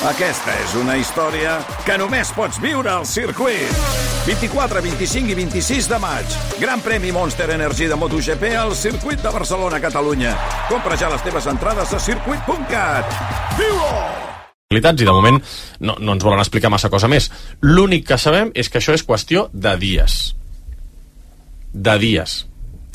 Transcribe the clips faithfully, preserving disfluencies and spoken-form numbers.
Aquesta és una història que només pots viure al circuit. vint-i-quatre, vint-i-cinc i vint-i-sis de maig. Gran premi Monster Energy de MotoGP al circuit de Barcelona, Catalunya. Compra ja les teves entrades a circuit punt cat. Viu-ho! I de moment no, no ens volen explicar massa cosa més. L'únic que sabem és que això és qüestió de dies. De dies.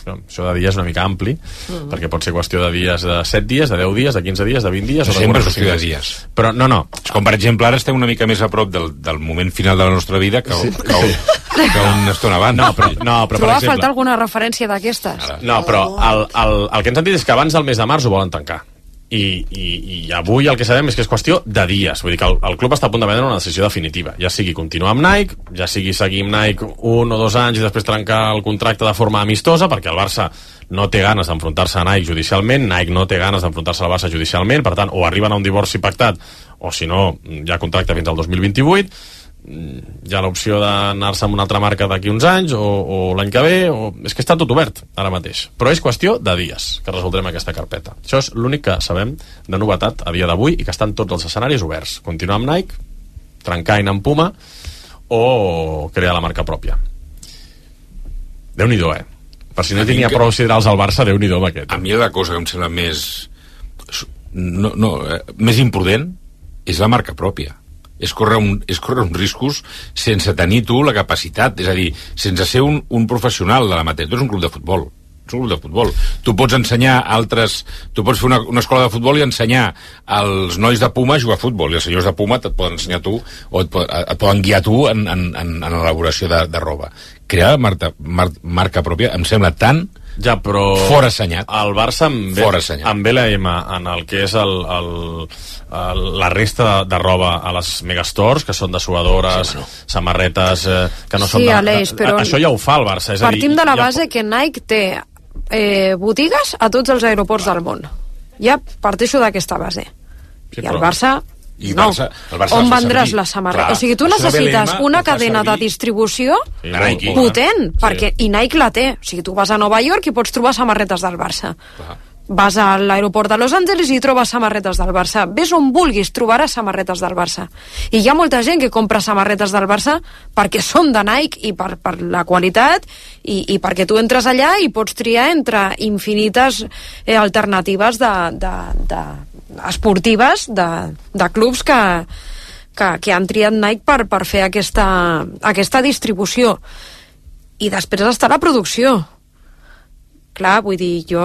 Això de dies és una mica ampli, mm-hmm. perquè pot ser qüestió de dies, de set dies, de deu dies, de quinze dies, de vint dies... No, o sempre és qüestió de dies. Però no, no. És com, per exemple, ara estem una mica més a prop del, del moment final de la nostra vida que, sí. que, que, que una estona abans. No, però, no, però Trobar per exemple... faltar alguna referència d'aquestes? No, però el, el, el que ens han dit és que abans del mes de març ho volen tancar. I, i, i avui el que sabem és que és qüestió de dies. Vull dir que el, el club està a punt de prendre una decisió definitiva, ja sigui continuar amb Nike, ja sigui seguir amb Nike un o dos anys i després trencar el contracte de forma amistosa, perquè el Barça no té ganes d'enfrontar-se a Nike judicialment, Nike no té ganes d'enfrontar-se al Barça judicialment, per tant, o arriben a un divorci pactat o si no, hi ha contracte fins al dos mil vint-i-vuit. Hi ha l'opció d'anar-se amb una altra marca d'aquí uns anys o, o l'any que ve o... és que està tot obert ara mateix, però és qüestió de dies que resoldrem aquesta carpeta. Això és l'únic que sabem de novetat a dia d'avui i que estan tots els escenaris oberts. Continuar amb Nike, trencar amb Puma o crear la marca pròpia. Déu-n'hi-do, eh? Per si no hi tenia que... prou siderals al Barça, Déu-n'hi-do amb aquest. A mi la cosa que em sembla més no, no, eh, més imprudent és la marca pròpia. És córrer, un, és córrer uns riscos sense tenir tu la capacitat, és a dir, sense ser un, un professional de l'amateur. Tu ets un club de futbol, ets un club de futbol. Tu pots ensenyar altres... Tu pots fer una, una escola de futbol i ensenyar als nois de Puma a jugar a futbol, i els senyors de Puma et poden ensenyar tu, o et, et poden guiar tu en, en, en, en l'elaboració de, de roba. Crear marca, mar, marca pròpia em sembla tan... Ja, però... Fora assenyat. El Barça amb, amb L M en el que és el, el, el, la resta de, de roba a les megastores, que són de suadores, sí, bueno. samarretes, eh, que no sí, són de... Aleix, però això ja ho fa el Barça. És partim a dir, de la ja... base que Nike té eh, botigues a tots els aeroports del món. Ja parteixo d'aquesta base. Sí, I el Barça... I no. Barça, el Barça on vendràs la samarreta? O sigui, tu necessites una cadena de distribució sí, Nike. potent, sí. perquè, i Nike la té. O sigui, tu vas a Nova York i pots trobar samarretes del Barça. Clar. Vas a l'aeroport de Los Angeles i trobes samarretes del Barça. Ves on vulguis, trobaràs samarretes del Barça. I hi ha molta gent que compra samarretes del Barça perquè són de Nike i per, per la qualitat i, i perquè tu entres allà i pots triar entre infinites eh, alternatives de, de, de esportives de, de clubs que, que, que han triat Nike per, per fer aquesta, aquesta distribució. I després està la producció. Clar, vull dir, jo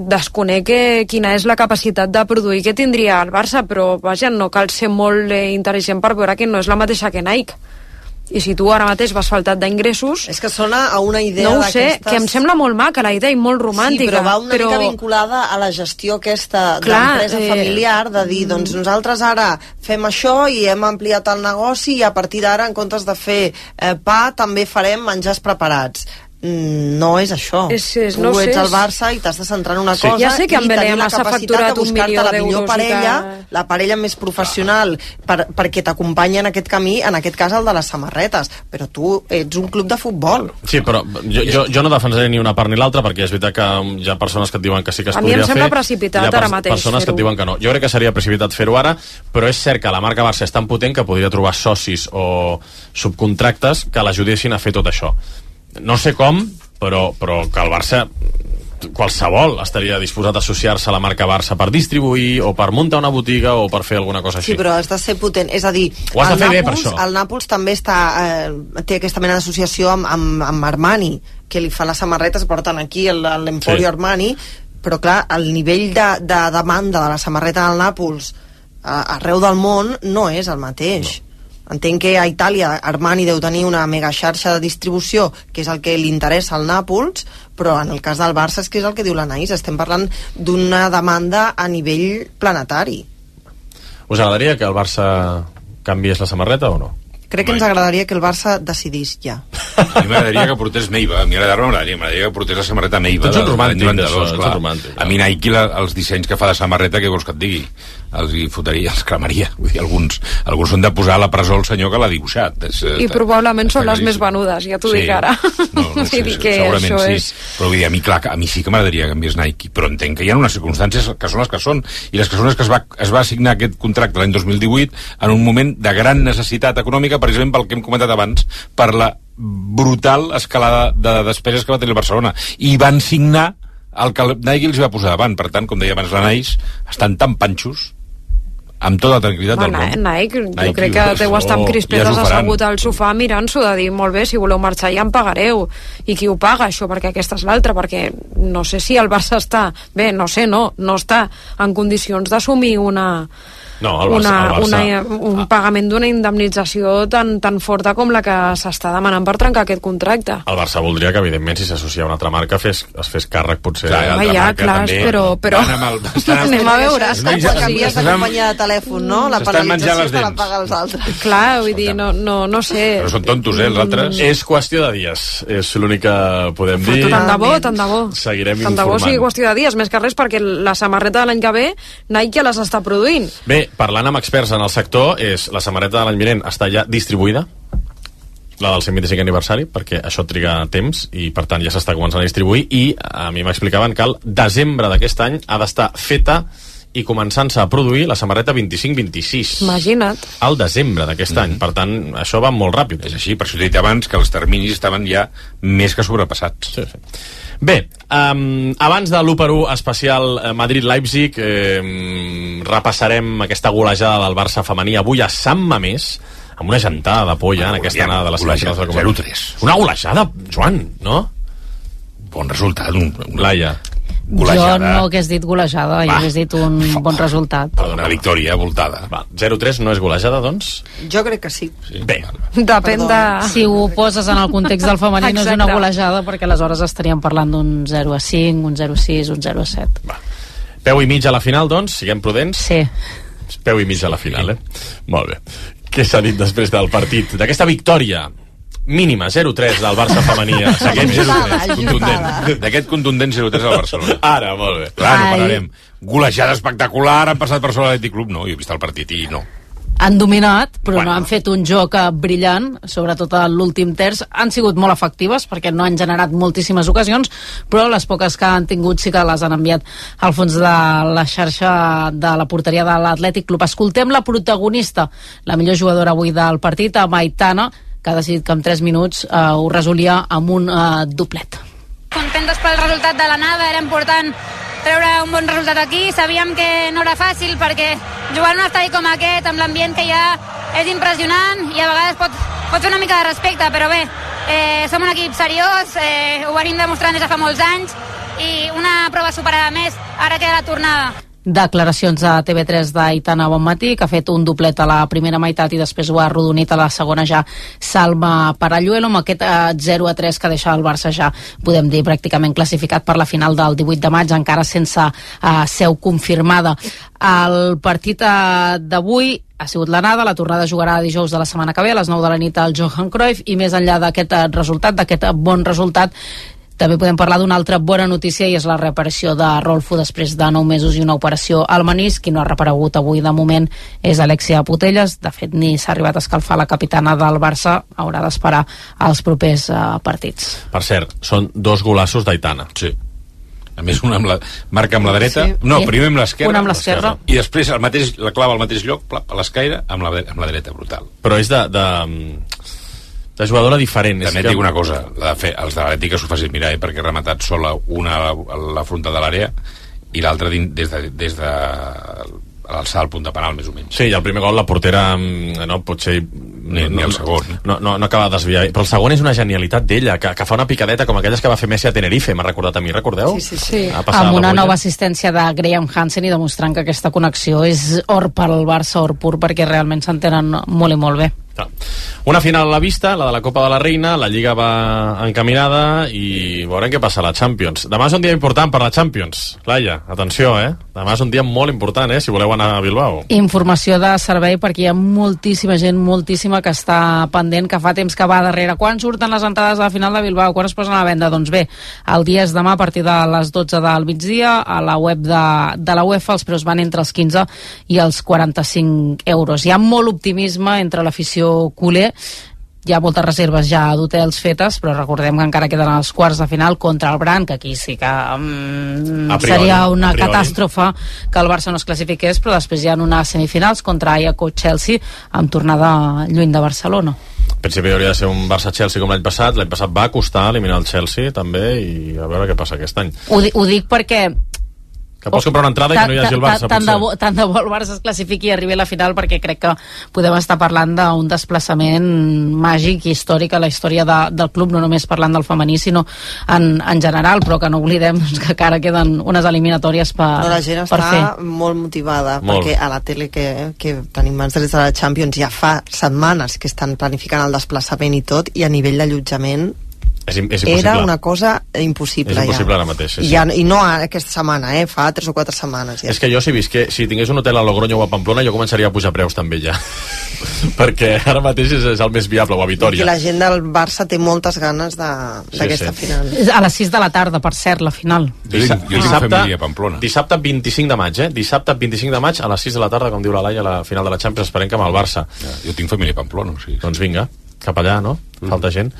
desconec que, quina és la capacitat de produir que tindria el Barça, però vaja, no cal ser molt eh, intel·ligent per veure que no és la mateixa que Nike. I si tu ara mateix vas faltat d'ingressos... És que sona a una idea no ho d'aquestes... sé, que em sembla molt maca la idea i molt romàntica. Sí, però va una però... mica vinculada a la gestió aquesta d'empresa eh... familiar, de dir, doncs nosaltres ara fem això i hem ampliat el negoci i a partir d'ara, en comptes de fer eh, pa, també farem menjars preparats. No és això. És, és, tu no ets sé, al Barça i t'has de centrar en una sí. cosa ja sé que i tenir la s'ha capacitat de buscar-te la millor parella, que... la parella més professional per, perquè t'acompanyi en aquest camí, en aquest cas el de les samarretes, però tu ets un club de futbol. Sí, però jo, jo, jo no defensaré ni una part ni l'altra perquè és veritat que hi ha persones que et diuen que sí que es a podria fer. A mi em sembla precipitat ara mateix persones que et diuen que no. Jo crec que seria precipitat fer-ho ara, però és cert que la marca Barça és tan potent que podria trobar socis o subcontractes que l'ajudessin a fer tot això. No sé com, però, però que el Barça qualsevol estaria disposat a associar-se a la marca Barça per distribuir o per muntar una botiga o per fer alguna cosa així. Sí, però has de ser potent, és a dir, ho has de fer Nàpols, bé per això. El Nàpols també està, eh, té aquesta mena d'associació amb, amb, amb Armani, que li fa les samarretes, porten aquí l'Emporio sí. Armani, però clar, el nivell de, de demanda de la samarreta del Nàpols a, arreu del món no és el mateix. No. Entenc que a Itàlia Armani deu tenir una mega xarxa de distribució, que és el que li interessa al Nàpols, però en el cas del Barça és que és el que diu l'Anaïs, estem parlant d'una demanda a nivell planetari. Us agradaria que el Barça canviés la samarreta o no? Crec que ens agradaria que el Barça decidís ja. A mi m'agradaria que portés Meiva, a mi m'agradaria, m'agradaria que portés la samarreta Meiva. Tots són romàntics, això, són romàntics. A mi Nike, la, els dissenys que fa de samarreta, què vols que et digui? Els hi fotria, els cremaria. Vull dir, alguns, alguns són de posar a la presó el senyor que l'ha dibuixat. És, I està, probablement són les més venudes, ja t'ho sí. dic ara. No, no sé, dir que segurament sí. És... Però vull dir, a mi, clar, a mi sí que m'agradaria que enviés Nike, però entenc que hi ha unes circumstàncies que són les que són, i les que són les que es va, es va assignar aquest contracte l'any dos mil divuit en un moment de gran necessitat econòmica, precisament pel que hem comentat abans, per la brutal escalada de despeses que va tenir el Barcelona. I van signar el que Nike els va posar davant. Per tant, com deia abans la Naix, estan tan panxos amb tota la tranquil·litat del món. Nike, Nike, jo crec que deu estar amb crispetes ja assegut al sofà mirant-s'ho, de dir, molt bé, si voleu marxar ja em pagareu. I qui ho paga, això, perquè aquesta és l'altra, perquè no sé si el Barça està... Bé, no sé, no, no està en condicions d'assumir una... No, el Barça, una, el Barça... una, un pagament d'una indemnització tan, tan forta com la que s'està demanant per trencar aquest contracte. El Barça voldria que, evidentment, si s'associa a una altra marca, fes, es fes càrrec, potser... Clar, Home, ja, clar, també, però... però... El, anem a veure. És com quan canvies de companyia de telèfon, no? La penalització te la paga els altres. Clar, vull dir, no, no, no sé... Però són tontos, eh, els altres? És qüestió de dies, és l'únic que podem dir. Tant de bo, tant de bo. Seguirem tant informant. Tant de bo sigui qüestió de dies, més que res, perquè la samarreta de l'any que ve Nike ja les està produint. Bé, parlant amb experts en el sector, és la samarreta de l'any vinent està ja distribuïda, la del cent vint-i-cinquè aniversari, perquè això triga temps i per tant ja s'està començant a distribuir, i a mi m'explicaven que el desembre d'aquest any ha d'estar feta i començant-se a produir la samarreta vint-i-cinc vint-i-sis. Imagina't. Al desembre d'aquest mm. any. Per tant, això va molt ràpid. És així, per això t'he dit abans que els terminis estaven ja més que sobrepassats. Sí, sí. Bé, um, abans de l'u per u especial Madrid-Leipzig, eh, repassarem aquesta golejada del Barça femení avui a Sant Mamés, amb una gentada de por ja en aquesta anada de les golejada, zero tres. Una golejada, Joan, no? Bon resultat. Un, un... Laia. Golejada. Jo no hagués dit golejada, jo hagués dit un bon resultat. Perdona, victòria voltada. Va, zero tres no és golejada, doncs? Jo crec que sí. sí. Bé. Depèn de... Si ho poses en el context del femení no és una golejada, perquè aleshores estaríem parlant d'un zero a cinc, un zero a sis, un zero a set. Va. Peu i mig a la final, doncs? Siguem prudents? Sí. Peu i mig a la final, eh? Molt bé. Què s'ha dit després del partit? D'aquesta victòria mínima, zero tres del Barça femení. D'aquest zero tres contundent. D'aquest contundent zero tres al Barcelona. Ara, molt bé. Clar, no pararem. Golejada espectacular, han passat per sobre l'Atlètic Club. No, jo he vist el partit i no. Han dominat, però bueno. no han fet un joc brillant, sobretot a l'últim terç. Han sigut molt efectives, perquè no han generat moltíssimes ocasions, però les poques que han tingut sí que les han enviat al fons de la xarxa de la porteria de l'Atlètic Club. Escoltem la protagonista, la millor jugadora avui del partit, Aitana, que ha decidit que en tres minuts eh, ho resolia amb un eh, doblet. Contentes pel resultat de l'anada, era important treure un bon resultat aquí, sabíem que no era fàcil perquè jugar en un estadi com aquest, amb l'ambient que hi ha, és impressionant i a vegades pot, pot fer una mica de respecte, però bé, eh, som un equip seriós, eh, ho venim demostrant des de fa molts anys i una prova superada més, ara queda la tornada. Declaracions a T V tres d'Aitana Bonmatí, que ha fet un doblet a la primera meitat i després ho ha arrodonit a la segona ja Salma Paralluelo, amb aquest zero a tres que deixa el Barça ja, podem dir, pràcticament classificat per la final del divuit de maig, encara sense uh, seu confirmada. El partit uh, d'avui ha sigut l'anada, la tornada jugarà dijous de la setmana que ve a les nou de la nit al Johan Cruyff, i més enllà d'aquest uh, resultat, d'aquest uh, bon resultat, també podem parlar d'una altra bona notícia i és la reaparició de Rolfo després de nou mesos i una operació al menisc. Qui no ha reaparegut avui de moment és Alexia Putellas. De fet, ni s'ha arribat a escalfar la capitana del Barça, haurà d'esperar als propers uh, partits. Per cert, són dos golassos d'Aitana. Sí. A més, una amb la, marca amb la dreta, sí. no, primer amb l'esquerra, una amb l'esquerra, i després el mateix, la clava al mateix lloc, a l'escaire, amb, la, amb la dreta, brutal. Però és de... de... de jugadora diferent. També et dic una cosa, la de fer, els de l'Atlètic que s'ho facin mirar, eh, perquè ha rematat sola una a la, a la fronta de l'àrea i l'altra des de, des de l'alçada al punt de penal, més o menys. Sí, i el primer gol la portera no, potser ni, no, ni el segon no, no, no acaba de desviar, però el segon és una genialitat d'ella, que, que fa una picadeta com aquelles que va fer Messi a Tenerife, m'ha recordat a mi, recordeu? Sí, sí, sí. Amb una nova assistència de Graham Hansen i demostrant que aquesta connexió és or pel Barça, or pur, perquè realment s'entenen molt i molt bé. Una final a la vista, la de la Copa de la Reina, la Lliga va encaminada i veurem què passa a la Champions. Demà és un dia important per la Champions. Laia, atenció, eh? Demà és un dia molt important, eh? Si voleu anar a Bilbao. Informació de servei perquè hi ha moltíssima gent, moltíssima que està pendent, que fa temps que va darrere. Quan surten les entrades a la final de Bilbao? Quan es posen a la venda? Doncs bé, el dia és demà a partir de les dotze del migdia. A la web de, de la UEFA els preus van entre els quinze i els quaranta-cinc euros. Hi ha molt optimisme entre l'afició culer. Hi ha moltes reserves ja d'hotels fetes, però recordem que encara queden els quarts de final contra el Brandt, que aquí sí que um, priori, seria una catàstrofe que el Barça no es classifiqués, però després hi ha unes semifinals contra Ajax o Chelsea amb tornada lluny de Barcelona. En principi hauria de ser un Barça-Chelsea com l'any passat. L'any passat va costar eliminar el Chelsea també, i a veure què passa aquest any. Ho, ho dic perquè que pots comprar una entrada i que no hi hagi el Barça, tant de, bo, tant de bo el Barça es classifiqui i arribi a la final, perquè crec que podem estar parlant d'un desplaçament màgic i històric a la història de, del club, no només parlant del femení, sinó en, en general, però que no oblidem que encara queden unes eliminatòries per, no, la gent per està fer. molt motivada, molt. Perquè a la tele que, que tenim mans drets de la Champions ja fa setmanes que estan planificant el desplaçament i tot, i a nivell d'allotjament És, és era una cosa impossible. És impossible ja. ara mateix, sí, sí. Ja, i no aquesta setmana, eh? Fa tres o quatre setmanes ja. És que jo si visqué, si tingués un hotel a Logroño o a Pamplona, jo començaria a pujar preus també ja. Perquè ara mateix és, és el més viable, o a Vitòria. I la gent del Barça té moltes ganes d'aquesta sí, sí. final. A les sis de la tarda, per cert, la final. Jo tinc, jo tinc família a Pamplona. Dissabte vint-i-cinc de maig, eh? Dissabte vint-i-cinc de maig a les sis de la tarda, com diu la Laia, la final de la Champions, esperem que amb el Barça. Ja, jo tinc família a Pamplona, o sigui. Doncs vinga, cap allà, no? Falta gent.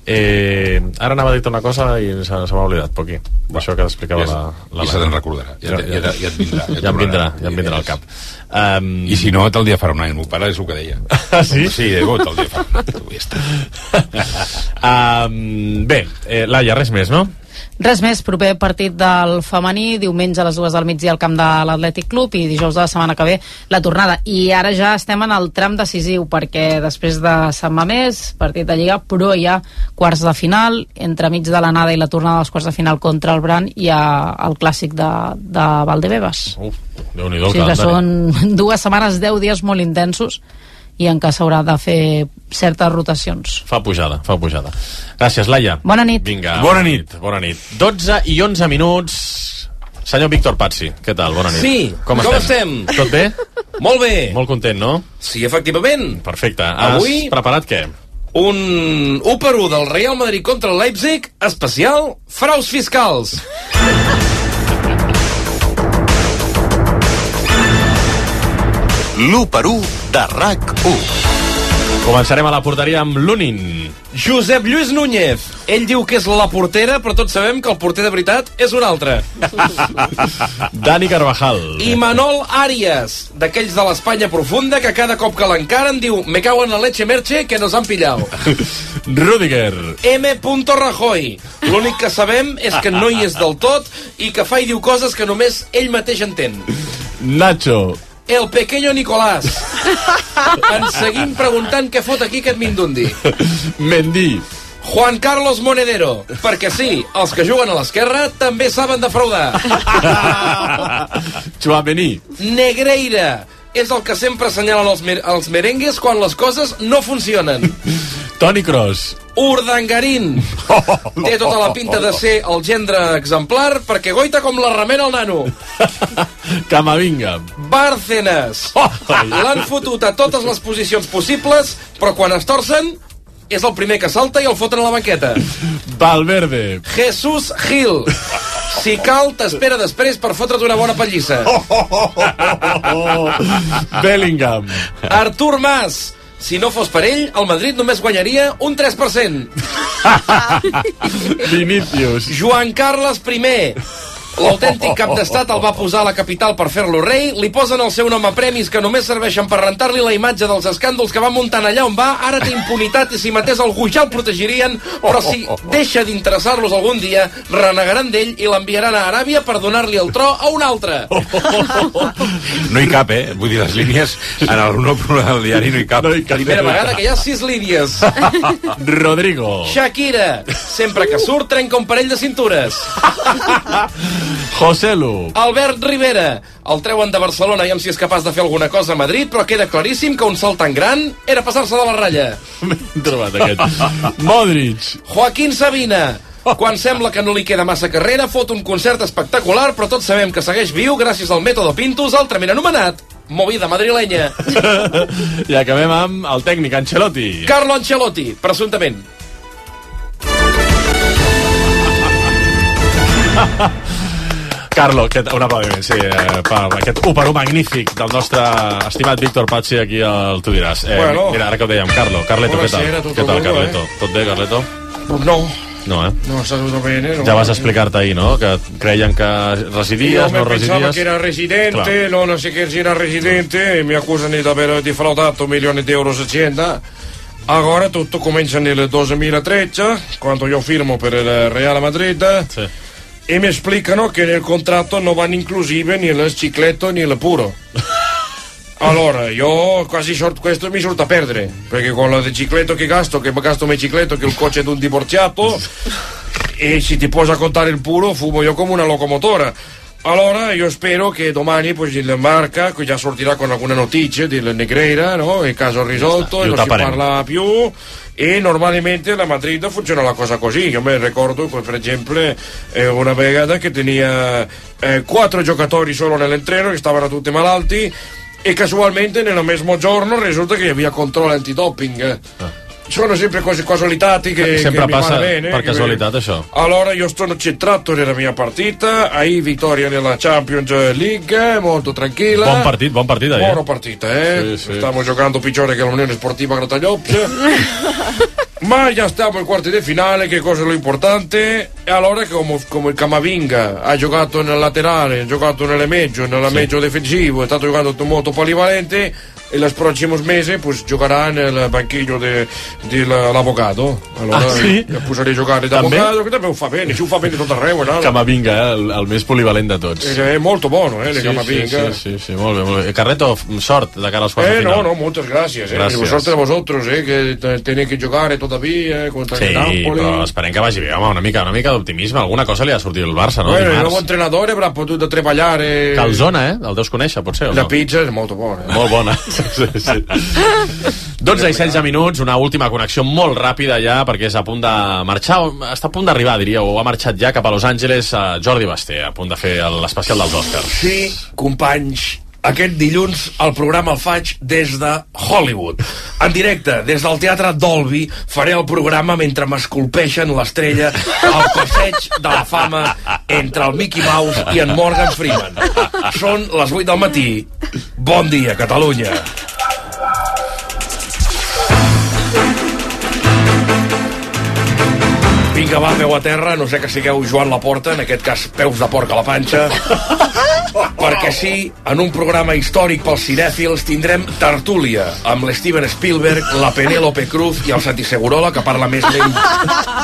Eh, ara anava a dir una cosa i se, se m'ha oblidat, Poqui. Això que t'explicava ja, la, la I se te'n recordarà. Ja, ja, ja, ja et vindrà. Ja, ja em vindrà, ja em vindrà al cap. Um... I si no, tal dia farà un any. El meu pare és el que deia. Ah, sí? Sí, de tal dia farà un any. Ja està. um, bé, eh, Laia, res més, no? Res més, proper partit del femení, diumenge a les dues del migdia al camp de l'Atlètic Club i dijous de la setmana que ve la tornada. I ara ja estem en el tram decisiu, perquè després de Sant Mamés, partit de Lliga, però hi ha quarts de final, entremig de l'anada i la tornada dels quarts de final contra el Brandt, hi ha el clàssic de, de Valdebebas. Uf, Déu-n'hi-do el sí, que calendari. són dues setmanes, deu dies molt intensos, i en què s'haurà de fer certes rotacions. Fa pujada, fa pujada. Gràcies, Laia. Bona nit. Vinga, bona nit. Bona nit. dotze i onze minuts. Senyor Víctor Pazzi, què tal? Bona nit. Sí, com, com estem? estem? Tot bé? Molt bé. Molt content, no? Sí, efectivament. Perfecte. Has Avui- preparat què? Un u per u del Real Madrid contra el Leipzig, especial fraus fiscals. l'u per u de R A C u. Començarem a la porteria amb Lunin. Josep Lluís Núñez. Ell diu que és la portera, però tots sabem que el porter de veritat és un altre. Dani Carvajal. I Manol Arias, d'aquells de l'Espanya profunda que cada cop que l'encaren diu me cago en la leche merche que nos han pillado. Rudiger. M. Rajoy. L'únic que sabem és que no hi és del tot i que fa i diu coses que només ell mateix entén. Nacho. El pequeño Nicolás. Ens seguim preguntant què fot aquí aquest Mindundi. Mendy. Juan Carlos Monedero. Perquè sí, els que juguen a l'esquerra també saben defraudar. Chouameni. Negreira. És el que sempre assenyalen els, mer els merengues quan les coses no funcionen. Toni Kroos. Urdangarín. Té tota la pinta de ser el gendre exemplar perquè goita com la remena el nano. Camavinga. Bárcenas. L'han fotut a totes les posicions possibles, però quan es torcen és el primer que salta i el foten a la banqueta. Valverde. Jesús Gil. Si cal, t'espera després per fotre't una bona pallissa. Bellingham. Artur Mas. Si no fos per ell, el Madrid només guanyaria un tres per cent. Vinícius. Joan Carles I. L'autèntic cap d'estat el va posar a la capital per fer-lo rei, li posen el seu nom a premis que només serveixen per rentar-li la imatge dels escàndols que va muntant allà on va, ara té impunitat i si matés algú ja el protegirien, però si deixa d'interessar-los algun dia, renegaran d'ell i l'enviaran a Aràbia per donar-li el tro a un altre. No hi cap, eh? Vull dir, les línies en el no del diari no hi cap. No hi cap. Primera vegada que hi ha sis línies. Rodrigo. Shakira. Sempre que surt trenca un parell de cintures. José Lu. Albert Rivera. El treuen de Barcelona i amb si és capaç de fer alguna cosa a Madrid, però queda claríssim que un salt tan gran era passar-se de la ratlla. Ben trobat, aquest. Modric. Joaquín Sabina. Quan sembla que no li queda massa carrera, fot un concert espectacular, però tots sabem que segueix viu gràcies al mètode Pintus, altrament anomenat movida madrilenya. I acabem amb el tècnic Ancelotti. Carlo Ancelotti, presumptament. Carlo, aquest, un aplaudiment, sí, eh, per aquest u per u magnífic del nostre estimat Víctor Pazzi aquí al Tu diràs. Eh, bueno. Mira, ara que ho dèiem, Carlo, Carleto, què tal? Buonasera, tutto Què tal, bello, Carleto? eh? Tot bé, Carleto? No. No, eh? No, está todo bien, ¿eh? No, ja vas explicar-te ahir, no? Que creien que residies, Io no me pensava residies... che era residente, Clar. no, non si che era residente, e mi accusano di aver defraudato milioni di euro azienda. Agora tutto comincia nel duemilatredici, quando io firmo per il Real Madrid, Sí. e mi esplicano che nel contratto non vanno inclusive né il cicletto né il puro. Allora, io quasi short, questo mi sorta a perdere, perché con il cicletto che gasto, che gasto il cicletto, che il coach è di un divorziato, e se ti posa a contare il puro, fumo io come una locomotora. Allora, io spero che domani pues, il Marca, che già sortirà con alcune notizie del Negreira, no? Il caso risolto, e non si parla più, e normalmente la Madrid funziona la cosa così. Io mi ricordo, per esempio, eh, una vegata che tenia eh, quattro giocatori solo nell'entreno, che stavano tutti malalti, e casualmente nel mesmo giorno risulta che havia controllo antidoping. Ah. Sono sempre cose casualitati che, sempre che mi passa vanno bene. per casualitat, això. Allora io sono centrato nella mia partita, ahí vittoria nella Champions League, molto tranquilla. Buon partit, buon partit ahir. Buona partita, eh? Sì, sì. Stiamo giocando peggiore che l'Unione Sportiva Gratagliopps. Ma già stiamo in quarti di finale, che cosa è lo importante? E allora come, come il Camavinga ha giocato nel laterale, ha giocato nelle medio, nella sì. medio difensivo, è stato giocando molto polivalente, e los próximos meses pues giocherà nel banchillo dell'avvocato. Allora ah, sí? ja posaré a giocare d'avvocato, che també ho fa bene, si ho fa bene tot arreu. No? Camavinga, eh? el, el més polivalent de tots. È molto buono, eh, sí, Camavinga. Sí, sí, sí, molt bé, molt bé. Carreto, sort de cara als quarts eh, de final. No, no, muchas gracias. Eh. Gracias. Suerte a vosotros, eh, que tenéis que giocare todavía eh, contra sí, el Napoli. Però esperem que vagi bé, home, una mica, una mica d'optimisme. Alguna cosa li ha sortit al Barça, no? Bueno, Dimarts. il nuovo allenatore avrà potuto treballare. Calzona, eh? El deus conèixer, potser, o no? La pizza és molt bona. Eh? Molt bona. Sí, sí. dotze i setze minuts, una última connexió molt ràpida ja, perquè és a punt de marxar, està a punt d'arribar, diria, o ha marxat ja cap a Los Angeles, a Jordi Basté, a punt de fer l'especial dels Oscars. Sí, companys, aquest dilluns el programa el faig des de Hollywood. En directe, des del Teatre Dolby, faré el programa mentre m'esculpeixen l'estrella al passeig de la fama entre el Mickey Mouse i en Morgan Freeman. Són les vuit del matí. Bon dia, Catalunya. Vinga, va, peu a terra, no sé que sigueu Joan Laporta, en aquest cas peus de porc a la panxa, perquè sí, en un programa històric pels cinèfils tindrem tertúlia amb l'Steven Spielberg, la Penélope Cruz i el Santi Segurola, que parla més lent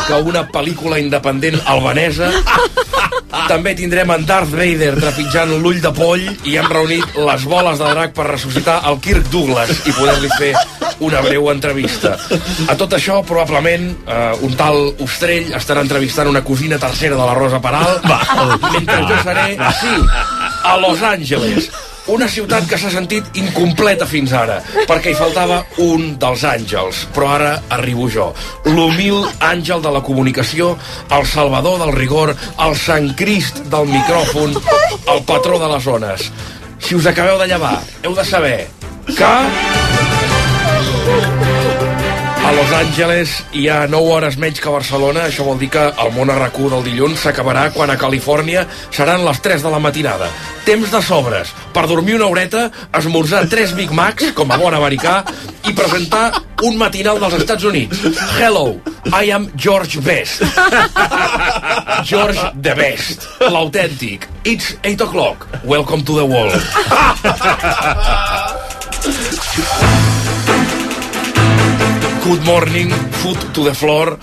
que una pel·lícula independent albanesa. També tindrem en Darth Vader trepitjant l'ull de poll i hem reunit les boles de drac per ressuscitar el Kirk Douglas i poder-li fer una breu entrevista. A tot això, probablement, eh, un tal Ostrell estarà entrevistant una cosina tercera de la Rosa Peral, mentre jo seré, sí, a Los Angeles, una ciutat que s'ha sentit incompleta fins ara, perquè hi faltava un dels àngels, però ara arribo jo, l'humil àngel de la comunicació, el salvador del rigor, el Sant Crist del micròfon, el patró de les ones. Si us acabeu de llevar, heu de saber que a Los Angeles hi ha nou hores menys que a Barcelona. Això vol dir que el món a RAC u del dilluns s'acabarà quan a Califòrnia seran les tres de la matinada. Temps de sobres per dormir una horeta, esmorzar tres Big Macs, com a bon americà, i presentar un matinal dels Estats Units. Hello, I am George Best. George the Best, l'autèntic. It's eight o'clock. Welcome to the world. Good morning, foot to the floor.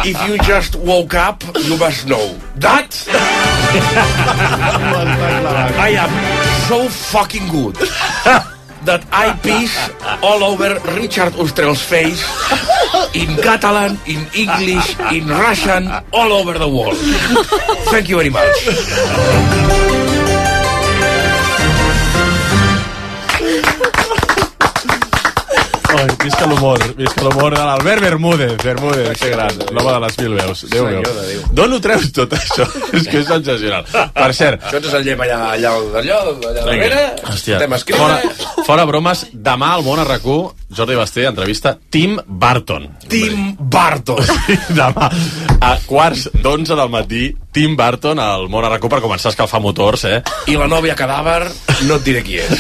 If you just woke up, you must know that I am so fucking good that I piss all over Richard Ustrell's face in Catalan, in English, in Russian, all over the world. Thank you very much. Ai, visca l'humor, visca l'humor de l'Albert Bermúdez, Bermúdez, que gran, l'home de les mil veus. Déu meu. D'on ho treus tot això? És que és sensacional. Per cert... Això ens el llem allà, allà, allà, allà darrere. Hòstia, fora, fora bromes, demà al Món a RAC u, Jordi Basté entrevista Tim Burton. Tim Burton. Demà, a quarts d'onze del matí, Tim Burton al Món a RAC u per començar a escalfar motors, eh? I la nòvia cadàver, no et diré qui és.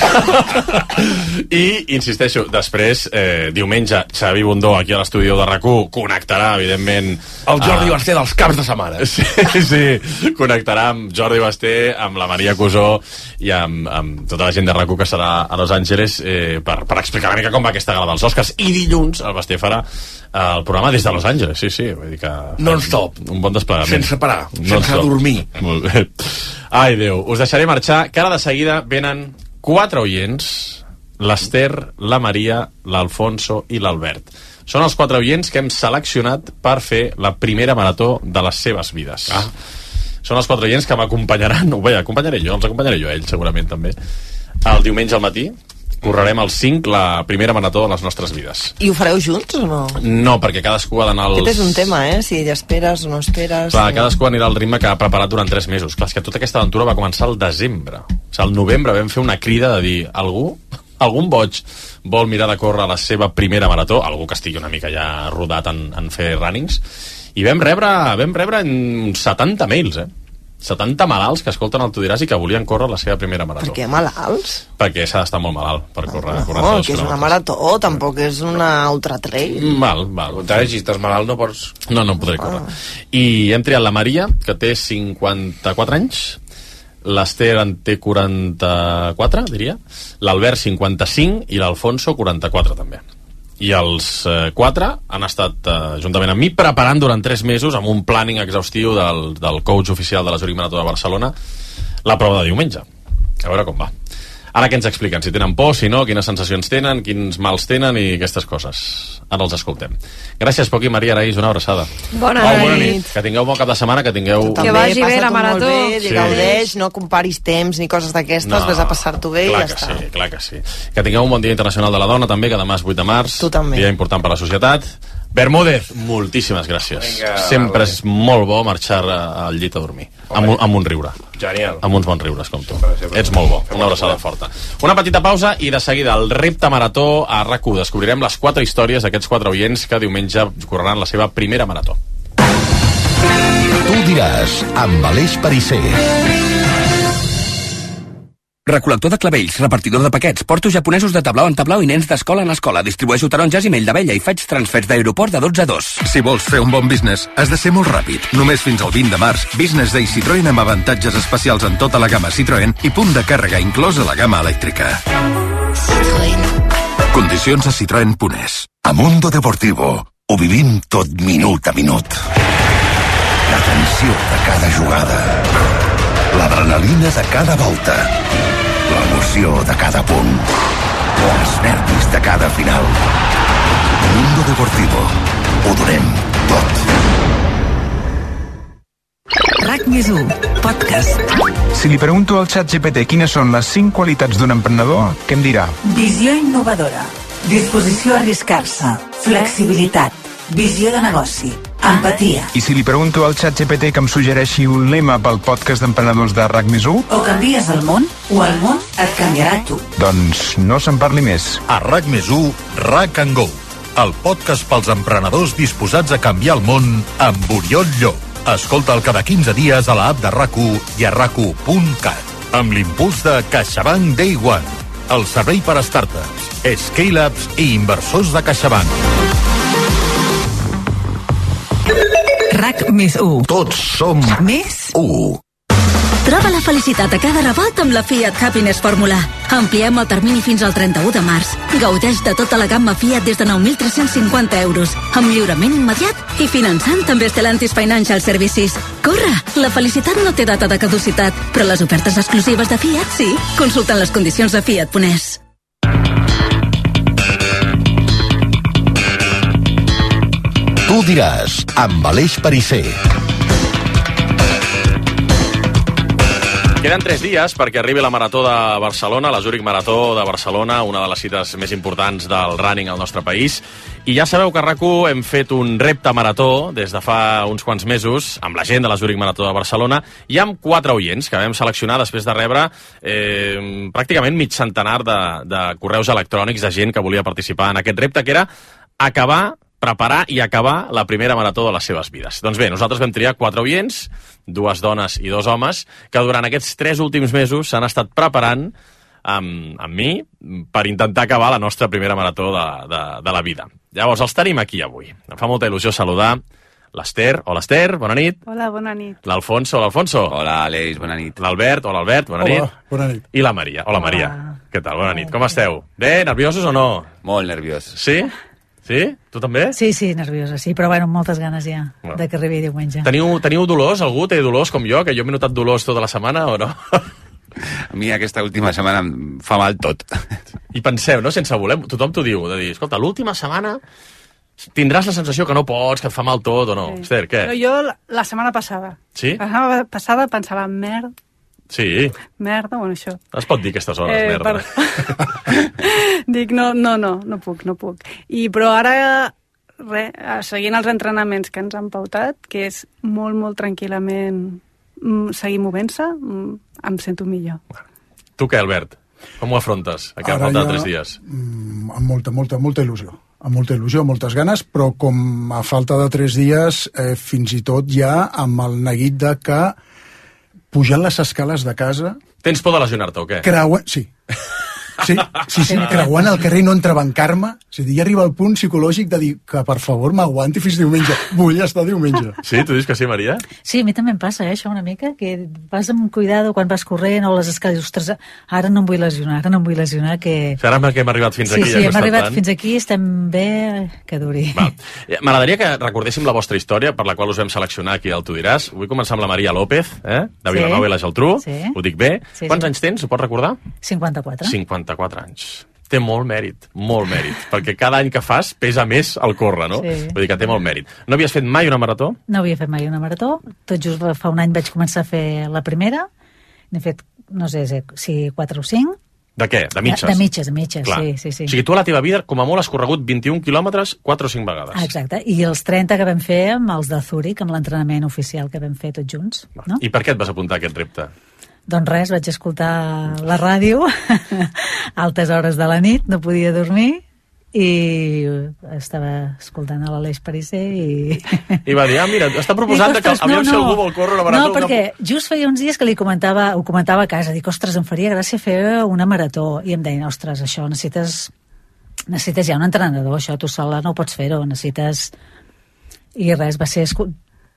I, insisteixo, després, eh, diumenge, Xavi Bundó, aquí a l'estudi de RAC u, connectarà, evidentment... El Jordi a... Basté dels caps de setmana. Sí, sí, connectarà amb Jordi Basté, amb la Maria Cusó i amb, amb tota la gent de RAC u que serà a Los Angeles eh, per, per explicar una mica com va aquesta gala dels Oscars. I dilluns el Basté farà el programa des de Los Angeles, sí, sí. Vull dir que... Non-stop. Un bon desplegament. Sense parar, sense non-stop. Dormir. Molt bé. Ai, Déu, us deixaré marxar, que ara de seguida venen quatre oients, l'Ester, la Maria, l'Alfonso i l'Albert. Són els quatre oients que hem seleccionat per fer la primera marató de les seves vides. Ah. Són els quatre oients que m'acompanyaran, no, bé, acompanyaré jo, els acompanyaré jo, ells segurament també, el diumenge al matí. Correrem al cinc la primera marató de les nostres vides. I ho fareu junts o no? No, perquè cadascú ha d'anar als... Aquest és un tema, eh? Si esperes o no esperes... Clar, cadascú anirà al ritme que ha preparat durant tres mesos. Clar, és que tota aquesta aventura va començar al desembre. O sigui, al novembre vam fer una crida de dir algú, algun boig vol mirar de córrer la seva primera marató, algú que estigui una mica ja rodat en, en fer runnings, i vam rebre, vam rebre uns setanta mails, eh? setanta malalts que escolten el Tu diràs i que volien córrer la seva primera marató. Per què malalts? Perquè s'ha d'estar molt malalt per córrer. No, córrer no que és una marató, tampoc és una ultra trail. Mal, mal. Si estàs malalt no pots... No, no podré córrer. Ah. I hem triat la Maria, que té cinquanta-quatre anys, l'Ester en té quaranta-quatre, diria, l'Albert cinquanta-cinc i l'Alfonso quaranta-quatre també. I els eh, quatre han estat eh, juntament amb mi preparant durant tres mesos amb un planning exhaustiu del, del coach oficial de la Zurich Marató de Barcelona la prova de diumenge. A veure com va. Ara que ens expliquen si tenen por, si no, quines sensacions tenen, quins mals tenen i aquestes coses. Ara els escoltem. Gràcies, Poc i Maria Araís, una abraçada. Bona, oh, bona nit. Que tingueu bon cap de setmana, que tingueu... Que vagi bé la marató. Bé, sí. Gaudeix, no comparis temps ni coses d'aquestes, no, ves a passar-t'ho bé i ja està. Sí, clar que sí. Que tingueu un bon Dia Internacional de la Dona també, que demà és vuit de març. Tu també. Dia important per a la societat. Bermúdez, moltíssimes gràcies. Vinga, sempre vale. És molt bo marxar al llit a dormir. Amb un, amb un riure. Genial. Amb uns bons riures, com tu. Ets molt bo. Una abraçada forta. Una petita pausa i de seguida el repte marató a RAC u. Descobrirem les quatre històries d'aquests quatre oients que diumenge correran la seva primera marató. Tu diràs, amb Aleix Perisser. Recol·lector de clavells, repartidor de paquets, porto japonesos de tablau en tablau i nens d'escola en escola. Distribueixo taronges i mell d'abella i faig transfers d'aeroport de dotze a dos. Si vols fer un bon business, has de ser molt ràpid. Només fins al vint de març, Business Day Citroën amb avantatges especials en tota la gamma Citroën i punt de càrrega inclòs a la gamma elèctrica. Citroën. Condicions a citroen punt es. A Mundo Deportivo ho vivim tot minut a minut. La tensió de cada jugada. L'adrenalina de cada volta. L'emoció de cada punt. Els nervis de cada final. Mundo Deportivo. Ho donem tot. RAC més u, podcast. Si li pregunto al ChatGPT quines són les cinc qualitats d'un emprenedor, què em dirà? Visió innovadora, disposició a arriscar-se, flexibilitat, visió de negoci, empatia. I si li pregunto al ChatGPT que em suggereixi un lema pel podcast d'emprenedors de RAC més u? O canvies el món, o el món et canviarà tu. Doncs no se'n parli més. A RAC més u, RAC and Go, el podcast pels emprenedors disposats a canviar el món amb Oriol Llop. Escolta'l cada quinze dies a l'app de RAC u i a rac u punt cat. Amb l'impuls de CaixaBank Day One, el servei per a startups, scale-ups i inversors de CaixaBank. RAC més u. Tots som més u. Troba la felicitat a cada revolt amb la Fiat Happiness Fórmula. Ampliem el termini fins al trenta-u de març. Gaudeix de tota la gamma Fiat des de nou mil tres-cents cinquanta euros, amb lliurament immediat i finançant també Stellantis Financial Services. Corre! La felicitat no té data de caducitat, però les ofertes exclusives de Fiat sí. Consulta les condicions a fiat punt es. Tu diràs, amb Aleix Perisser. Queden tres dies perquè arribi la Marató de Barcelona, la Zurich Marató de Barcelona, una de les cites més importants del running al nostre país. I ja sabeu que a RAC1 hem fet un repte marató des de fa uns quants mesos amb la gent de la Zurich Marató de Barcelona i amb quatre oients que vam seleccionar després de rebre eh, pràcticament mig centenar de, de correus electrònics de gent que volia participar en aquest repte, que era acabar preparar i acabar la primera marató de les seves vides. Doncs bé, nosaltres vam triar quatre oients, dues dones i dos homes, que durant aquests tres últims mesos s'han estat preparant amb, amb mi per intentar acabar la nostra primera marató de, de, de la vida. Llavors, els tenim aquí avui. Em fa molta il·lusió saludar l'Ester. Hola, Ester, bona nit. Hola, bona nit. L'Alfonso, hola, Alfonso. Hola, Aleix, bona nit. L'Albert, hola, Albert, bona Hola, nit. bona nit. I la Maria. Hola, Maria. Què tal? Bona nit. Com esteu? Bé, nerviosos o no? Molt nerviós. Sí? Sí? Tu també? Sí, sí, nerviosa, sí, però bueno, moltes ganes ja Bueno. de que arribi diumenge. Teniu, teniu dolors? Algú té dolors com jo? Que jo m'he notat dolors tota la setmana o no? A mi aquesta última setmana em fa mal tot. I penseu, no? Sense voler, tothom t'ho diu, de dir, escolta, l'última setmana tindràs la sensació que no pots, que et fa mal tot o no. Sí. Esther, què? Però jo la, la setmana passada, Sí? la setmana passada pensava, merda, Sí. merda, bueno, això. Es pot dir aquestes hores, Eh, merda. Dic, no, no, no, no puc, no puc. I, però ara, re, seguint els entrenaments que ens han pautat, que és molt, molt tranquil·lament mm, seguir movent-se, mm, em sento millor. Tu què, Albert? Com ho afrontes, aquest Ara falta de ja, tres dies? mm, Amb molta, molta, molta il·lusió. Amb molta il·lusió, moltes ganes, però com a falta de tres dies, eh, fins i tot ja amb el neguit de que pujant les escales de casa... Tens por de lesionar-te o què? Creuen... Sí. Sí, sí, sí, creuant el carrer i no entrebancar-me. És a dir, ja arriba el punt psicològic de dir que, per favor, m'aguanti fins diumenge. Vull estar diumenge. Sí? Tu dius que sí, Maria? Sí, a mi també em passa, eh, això una mica, que vas amb cuidado quan vas corrent o les escales, ostres, ara no em vull lesionar, ara no em vull lesionar, que... O sigui, ara que hem arribat fins Sí, aquí... sí, ja hem arribat tant. fins aquí, estem bé, que duri. Val. Eh, M'agradaria que recordéssim la vostra història, per la qual us vam seleccionar aquí al Tu diràs. Vull començar amb la Maria López, eh? de Vilanova Sí. i la Geltrú. Sí. Ho dic bé. Sí, Quants sí. anys tens? Ho pots recordar? cinquanta-quatre. cinquanta-quatre anys. Té molt mèrit, molt mèrit, perquè cada any que fas pesa més el córrer, no? Sí. Vull dir que té molt mèrit. No havies fet mai una marató? No havia fet mai una marató, tot just fa un any vaig començar a fer la primera, n'he fet, no sé si quatre o cinc. De què? De mitges? De, de mitges, de mitges, Clar. sí, sí, sí. O sigui, tu a la teva vida, com a molt, has corregut vint-i-un quilòmetres quatre o cinc vegades. Ah, exacte, i els trenta que vam fer amb els de Zurich, amb l'entrenament oficial que vam fer tots junts, no? I per què et vas apuntar a aquest repte? Doncs res, vaig escoltar la ràdio a altes hores de la nit, no podia dormir, i estava escoltant a l'Aleix Perisser i... I va dir, ah, mira, està proposant Dic, que ostres, aviam no, si no. algú vol córrer una marató. No, perquè just feia uns dies que li comentava, ho comentava a casa, dic, ostres, em faria gràcia fer una marató, i em deien, ostres, això necessites necessites ja un entrenador, això tu sola no ho pots fer-ho, necessites... I res, va ser escu...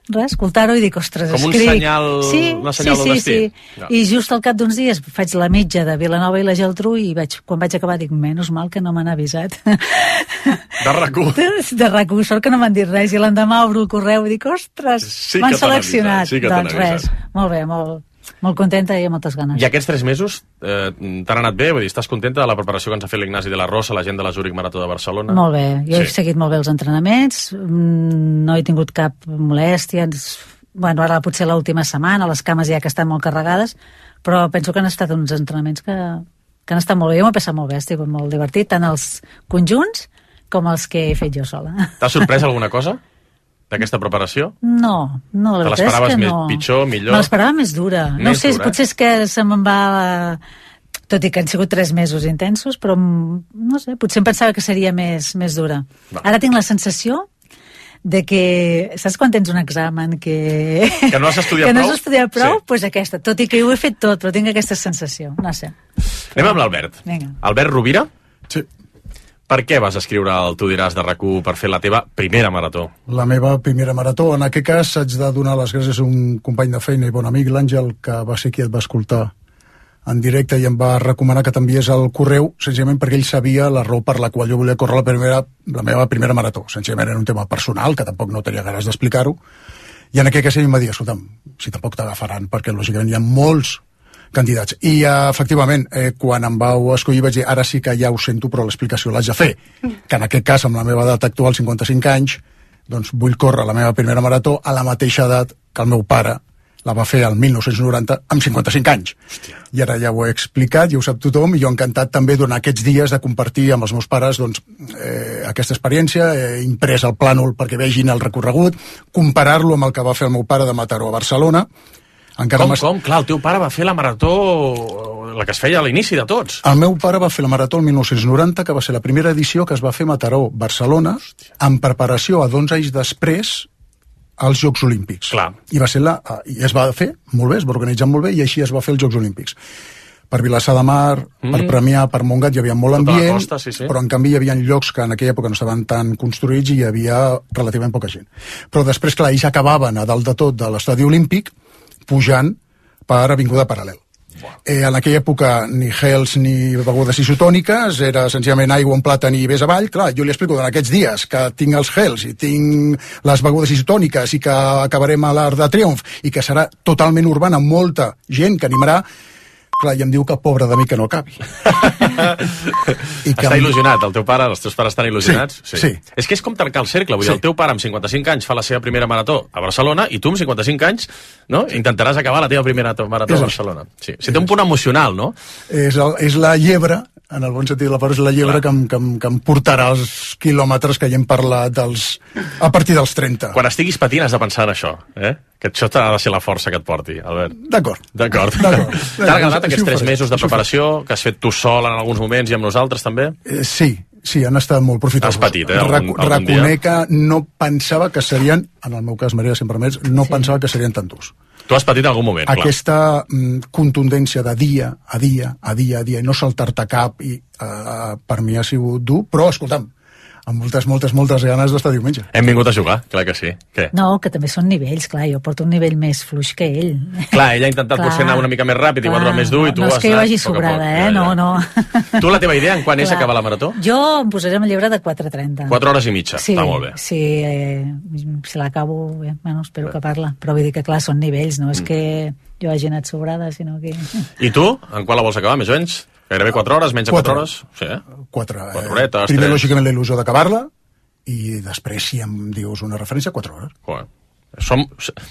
res, escoltar-ho i dic, ostres, Com un escric. senyal- sí, una senyal sí, del sí, destí. sí. No. I just al cap d'uns dies faig la mitja de Vilanova i la Geltrú i vaig, quan vaig acabar dic, menys mal que no m'han avisat. De RAC1. De, de RAC1, sort que no m'han dit res, i l'endemà obro el correu i dic, ostres, Sí que m'han t'han seleccionat. avisat, sí que t'han doncs res, molt bé, molt, molt contenta i amb moltes ganes. I aquests tres mesos eh, t'han anat bé? Vull dir, estàs contenta de la preparació que ens ha fet l'Ignasi de la Rosa, la gent de la Zurich Marató de Barcelona? Molt bé, jo he Sí. seguit molt bé els entrenaments, mm, no he tingut cap molèstia, ens- bueno, ara potser l'última setmana, les cames ja que estan molt carregades, però penso que han estat uns entrenaments que, que han estat molt bé, jo m'ho he passat molt bé, ha estat molt divertit, tant els conjunts com els que he fet jo sola. T'ha sorprès alguna cosa d'aquesta preparació? No, no, la Te veritat és l'esperaves que més no. pitjor, millor? Me l'esperava més dura. no Més sé, dura, eh? potser és que se me'n va... Tot i que han sigut tres mesos intensos, però no sé, potser em pensava que seria més, més dura. Va. Ara tinc la sensació de que, saps quan tens un examen que... Que no has estudiat que no prou? has estudiat prou? Sí. Doncs pues aquesta, tot i que ho he fet tot, però tinc aquesta sensació, no sé. Anem amb l'Albert. Vinga. Albert Rovira? Sí. Per què vas escriure el Tu diràs de RAC1 per fer la teva primera marató? La meva primera marató. En aquest cas haig de donar les gràcies a un company de feina i bon amic, l'Àngel, que va ser qui et va escoltar en directe i em va recomanar que t'enviés el correu, senzillament perquè ell sabia la raó per la qual jo volia córrer la, primera, la meva primera marató. Senzillament era un tema personal, que tampoc no tenia ganes d'explicar-ho, i en aquest cas ell em va dir, escolta'm, si tampoc t'agafaran, perquè lògicament hi ha molts candidats. I uh, efectivament, eh, quan em vau escollir vaig dir, ara sí que ja ho sento, però l'explicació l'haig de fer. Que en aquest cas, amb la meva edat actual, cinquanta-cinc anys, doncs vull córrer la meva primera marató a la mateixa edat que el meu pare la va fer el mil nou-cents noranta amb cinquanta-cinc anys. Hòstia. I ara ja ho he explicat, ja ho sap tothom, i jo encantat també durant aquests dies de compartir amb els meus pares doncs, eh, aquesta experiència, he imprès el plànol perquè vegin el recorregut, comparar-lo amb el que va fer el meu pare de Mataró a Barcelona. Encara com, com? Clar, el teu pare va fer la marató, la que es feia a l'inici de tots. El meu pare va fer la marató el mil nou-cents noranta, que va ser la primera edició que es va fer a Mataró, Barcelona, en preparació a d'onze anys després als Jocs Olímpics. Clar. I va ser la, i es va fer molt bé, es va organitzar molt bé i així es va fer els Jocs Olímpics. Per Vilassar de Mar, mm. per Premià, per Montgat hi havia molt tota ambient, costa, sí, sí. però en canvi hi havia llocs que en aquella època no estaven tan construïts i hi havia relativament poca gent. Però després, clar, ells acabaven a dalt de tot de l'estadi olímpic pujant per Avinguda Paral·lel. Eh, en aquella època ni gels ni begudes isotòniques, era senzillament aigua, un plàtan i vés avall. Clar, jo li explico en aquests dies que tinc els gels i tinc les begudes isotòniques i que acabarem a l'Arc de Triomf i que serà totalment urbana, molta gent que animarà. Clar, i em diu que pobre de mi que no acabi. I que està em... il·lusionat, el teu pare, els teus pares estan il·lusionats? Sí, sí. És que és com tancar el cercle, vull dir, sí. El teu pare amb cinquanta-cinc anys fa la seva primera marató a Barcelona i tu amb cinquanta-cinc anys, no?, intentaràs acabar la teva primera marató a Barcelona. Sí, sí, té un punt emocional, no? És, el, és la llebre, en el bon sentit de la paraula, és la llebre que em, que, em, que em portarà els quilòmetres que ja hem parlat dels, a partir dels trenta. Quan estiguis patint has de pensar en això, eh? Que això ha de ser la força que et porti, Albert. D'acord. D'acord. T'ha agradat aquests tres mesos de preparació que has fet tu sol en alguns moments i amb nosaltres també? Eh, sí, sí, han estat molt profitosos. Has patit, eh? Algun, Reco reconec que no pensava que serien, en el meu cas, Maria, si em permets, no sí. pensava que serien tan durs. Tu has patit en algun moment, clar. Aquesta mm, contundència de dia a dia, a dia a dia, i no saltar-te cap, i uh, per mi ha sigut dur, però, escolta'm, amb moltes, moltes, moltes ganes d'estar diumenge. Hem vingut a jugar, clar que sí. Què? No, que també són nivells, clar, jo porto un nivell més fluix que ell. Clar, ell ha intentat potser anar una mica més ràpid, igual va més dur, i tu no has és que jo vagi sobrada, eh? No, no. Tu la teva idea en quan és acabar la marató? Jo em posaré amb el llibre de quatre trenta. quatre hores i mitja, sí, està molt bé. Sí, eh, si l'acabo, eh, bueno, espero bé. acabar-la. Però vull dir que, clar, són nivells, no és mm. que jo hagi anat sobrada, sinó que... I tu? En quan la vols acabar, més o menys? Gairebé quatre hores, menys de quatre hores? Sí, eh? Quatre. Quatre horetes, Primer, tres. lògicament, la il·lusió d'acabar-la, i després, si em dius una referència, quatre hores. Joder. Som,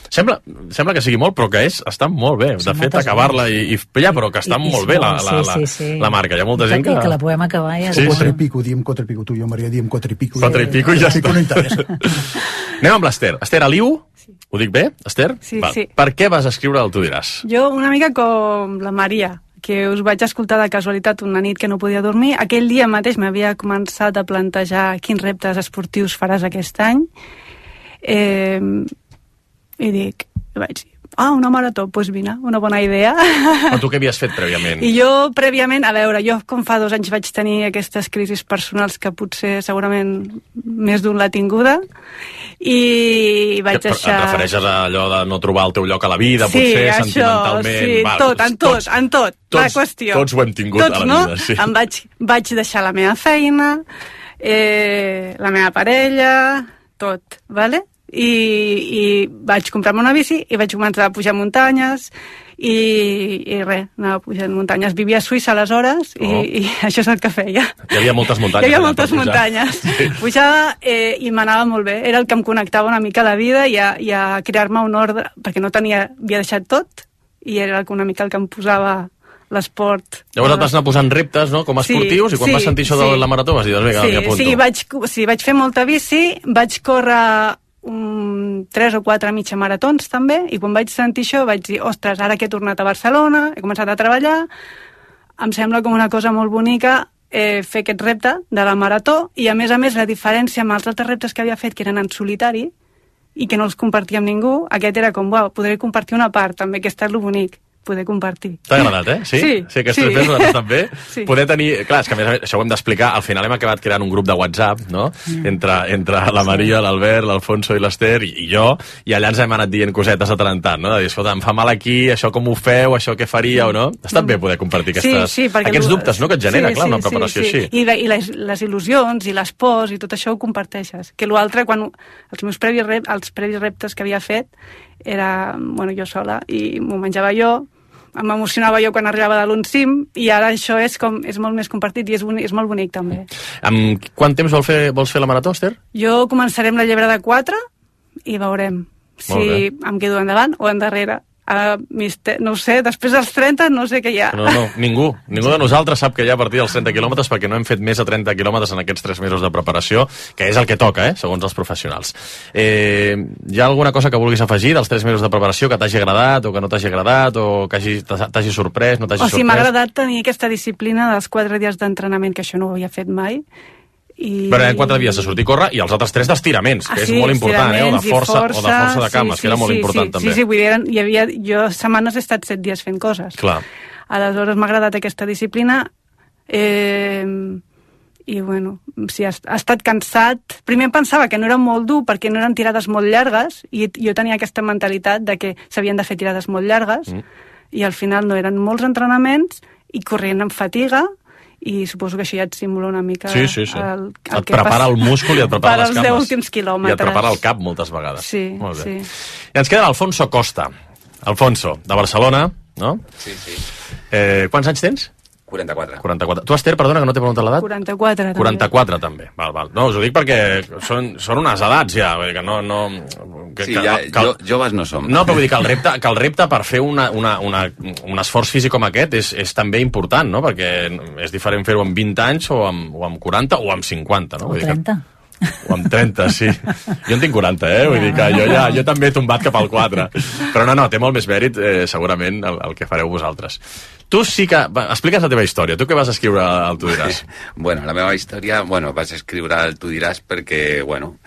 sembla, sembla que sigui molt, però que és, està molt bé. De fet, acabar-la i, i ja, però que està I, molt i bé la, la, sí, sí, sí. la, la marca. Hi ha molta gent que... I que la podem acabar ja. Sí, quatre i pico, diem quatre i pico. Tu i jo, Maria, diem quatre i pico. Quatre i pico i ja està. No interessa. Anem amb l'Ester. Esther Aliu? Sí. Ho dic bé, Esther? Sí, Va. sí. Per què vas escriure el Tu diràs? Jo una mica com la Maria, que us vaig escoltar de casualitat una nit que no podia dormir. Aquell dia mateix m'havia començat a plantejar quins reptes esportius faràs aquest any. Eh, I dic, vaig dir, ah, una marató, doncs pues vine, una bona idea. Però tu què havies fet prèviament? I jo prèviament, a veure, jo com fa dos anys vaig tenir aquestes crisis personals que potser segurament més d'un l'ha tinguda, i vaig que, deixar... Et refereixes a allò de no trobar el teu lloc a la vida, sí, potser això, sentimentalment... Sí, val, tot, en tot, tots, en tot, tots, la qüestió. Tots ho hem tingut tots, a la no? vida, sí. Em vaig, vaig deixar la meva feina, eh, la meva parella, tot, vale? I, i vaig comprar-me una bici i vaig començar a pujar muntanyes i, i res, anava pujant muntanyes. Vivia a Suïssa aleshores i, oh. i això és el que feia. Hi havia moltes muntanyes. Hi havia moltes muntanyes. Sí. Pujava eh, i m'anava molt bé. Era el que em connectava una mica a la vida i a, i a crear-me un ordre, perquè no tenia, havia deixat tot i era una mica el que em posava l'esport. Llavors et vas anar posant reptes, no?, com a esportius, sí, i quan sí, vas sentir això sí. de la marató vas dir, doncs vinga, sí, m'hi apunto. Sí, vaig, sí, vaig fer molta bici, vaig córrer um, tres o quatre mitja maratons també, i quan vaig sentir això vaig dir, ostres, ara que he tornat a Barcelona, he començat a treballar, em sembla com una cosa molt bonica eh, fer aquest repte de la marató, i a més a més la diferència amb els altres reptes que havia fet, que eren en solitari, i que no els compartia amb ningú, aquest era com, uau, podré compartir una part, també, que està lo bonic, poder compartir. T'ha agradat, eh? Sí? Sí. Sí, aquests sí. tres mesos també. Sí. Poder tenir... Clar, és que a més, això ho hem d'explicar. Al final hem acabat creant un grup de WhatsApp, no?, mm. entre, entre la Maria, l'Albert, l'Alfonso i l'Ester i, i jo, i allà ens hem anat dient cosetes de tant en tant, no?, de dir, escolta, em fa mal aquí, això com ho feu, això què faríeu, no? Ha estat bé poder compartir aquestes, sí, sí, aquests dubtes, no?, que et genera, sí, clar, sí, una preparació sí, sí. així. I, i les, les il·lusions i les pors i tot això ho comparteixes. Que l'altre, quan els meus previs, rep, els previs reptes que havia fet, era, bueno, jo sola, i m'ho menjava jo, m'emocionava jo quan arribava de l'un cim, i ara això és, com, és molt més compartit i és, boni, és molt bonic també. Amb quant temps vol fer, vols fer la marató, Esther? Jo començaré amb la llebre de quatre i veurem si em quedo endavant o endarrere. Uh, mister, no ho sé, després dels trenta no sé què hi ha. No, no, ningú. Ningú de nosaltres sap que hi ha a partir dels trenta quilòmetres perquè no hem fet més de trenta quilòmetres en aquests tres mesos de preparació, que és el que toca, eh, segons els professionals. Eh, hi ha alguna cosa que vulguis afegir dels tres mesos de preparació que t'hagi agradat o que no t'hagi agradat o que hagi, t'hagi sorprès, no t'hagi o sorprès? O sigui, m'ha agradat tenir aquesta disciplina dels quatre dies d'entrenament, que això no ho havia fet mai. I... Però en quatre dies de sortir a córrer i els altres tres d'estiraments, que ah, és sí, molt important, eh? O de força, força, o de força de cames, sí, sí, que era molt sí, important sí, també. Sí, sí, vull dir, hi havia, jo setmanes he estat set dies fent coses. Clar. Aleshores m'ha agradat aquesta disciplina eh, i bueno, sí, ha, ha estat cansat. Primer em pensava que no era molt dur perquè no eren tirades molt llargues i jo tenia aquesta mentalitat de que s'havien de fer tirades molt llargues mm. i al final no, eren molts entrenaments i corrent amb fatiga, i suposo que això ja et simula una mica sí, sí, sí. El, el et prepara pas... el múscul i et prepara les cames. Per als deu últims quilòmetres. I et prepara el cap moltes vegades. Sí, molt bé. sí. I ens queda l'Alfonso Costa. Alfonso, de Barcelona, no? Sí, sí. Eh, quants anys tens? quaranta-quatre. quaranta-quatre. Tu, Esther, perdona, que no t'he preguntat l'edat? quaranta-quatre, també. quaranta-quatre, també. Val, val. No, us ho dic perquè són, són unes edats, ja. Que no, no, que, sí, que, ja, que, jo, joves no som. No, però vull dir que el repte, que el repte per fer una, una, una, un esforç físic com aquest és, és també important, no? Perquè és diferent fer-ho amb vint anys o amb, o amb quaranta o amb cinquanta, no? O vull trenta. Dir que... O amb trenta, sí. Jo en tinc quaranta, eh? Vull dir que jo ja jo també he tombat cap al quatre. Però no, no, té molt més mèrit, eh, segurament, el, el que fareu vosaltres. Tu sí que... Va, explica'ns la teva història. Tu què vas escriure al Tu diràs? Bueno, la meva història... Bueno, vaig escriure al Tu diràs perquè, bueno,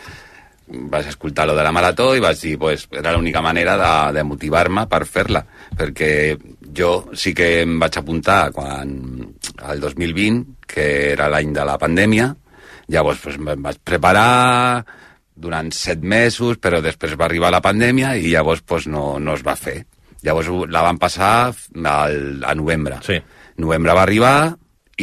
vaig escoltar lo de la marató i vaig dir, pues, era l'única manera de, de motivar-me per fer-la. Perquè jo sí que em vaig apuntar quan, al dos mil vint, que era l'any de la pandèmia. Llavors, pues, em vaig preparar durant set mesos, però després va arribar la pandèmia i llavors pues, no, no es va fer. Llavors la van passar al, a novembre. Sí. Novembre va arribar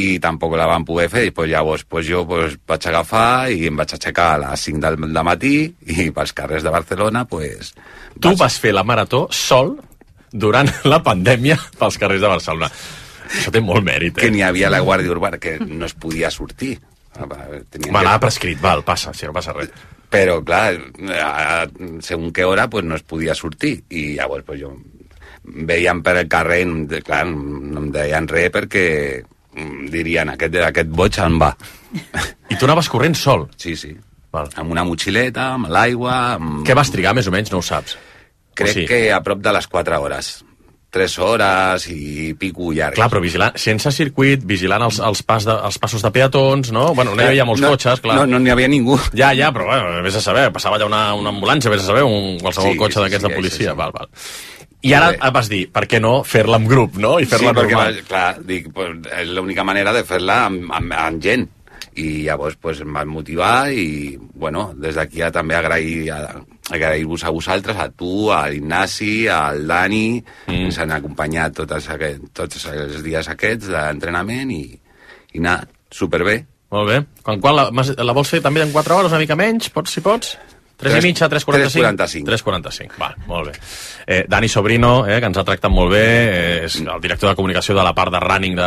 i tampoc la van poder fer. I pues, llavors pues, jo pues, vaig agafar i em vaig aixecar a les cinc del matí i pels carrers de Barcelona... Pues, tu vaig... vas fer la marató sol durant la pandèmia pels carrers de Barcelona. Això té molt mèrit, eh? Que n'hi havia la Guàrdia Urbana, que no es podia sortir. Va anar prescrit, val, passa, si no passa res. Però, clar, a, segons què hora pues, no es podia sortir. I llavors pues, jo veiem per el carrer, clar, no em deien res perquè dirien, aquest, aquest boig en va. I tu anaves corrent sol? Sí, sí. Val. Amb una motxileta, amb l'aigua... Amb... Què vas trigar, més o menys? No ho saps. Crec sí. que a prop de les quatre hores. Tres hores i pico llargues. Clar, però vigilant, sense circuit, vigilant els, els, pas de, els passos de peatons, no? Bueno, no hi havia molts no, cotxes, clar. No, no n'hi havia ningú. Ja, ja, però bueno, vés a saber, passava allà una, una ambulància, vés a saber, un, qualsevol sí, cotxe sí, d'aquests sí, de policia, sí, sí. val, val. I ara et vas dir, per què no fer-la en grup, no? I fer-la sí, perquè, normal. clar, dic, pues, és l'única manera de fer-la amb, amb, amb gent. I llavors pues, em van motivar i, bueno, des d'aquí ja també agrair, agrair-vos a vosaltres, a tu, a l'Ignasi, al Dani, mm. ens han acompanyat tots, aquest, tots els dies aquests d'entrenament i, i anar, superbé. Molt bé. Quan, quan la, la vols fer també en quatre hores, una mica menys, pots, si pots? tres i mitja, tres quaranta-cinc? tres quaranta-cinc, val, molt bé. Eh, Dani Sobrino, eh, que ens ha tractat molt bé, eh, és el director de comunicació de la part de running de,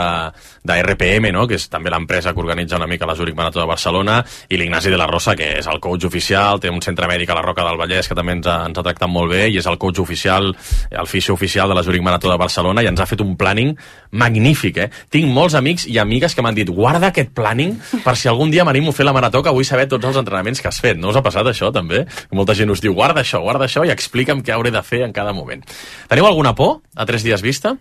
de R P M, no? Que és també l'empresa que organitza una mica la Zurich Marató de Barcelona, i l'Ignasi de la Rosa, que és el coach oficial, té un centre mèdic a la Roca del Vallès que també ens ha, ens ha tractat molt bé, i és el coach oficial, el fisio oficial de la Zurich Marató de Barcelona, i ens ha fet un planning magnífic, eh? Tinc molts amics i amigues que m'han dit, guarda aquest planning per si algun dia m'animo a fer la marató, que vull saber tots els entrenaments que has fet. No us ha passat això, també? Molta gent us diu, guarda això, guarda això, i explica'm què hauré de fer en cada moment. Teniu alguna por a tres dies vista?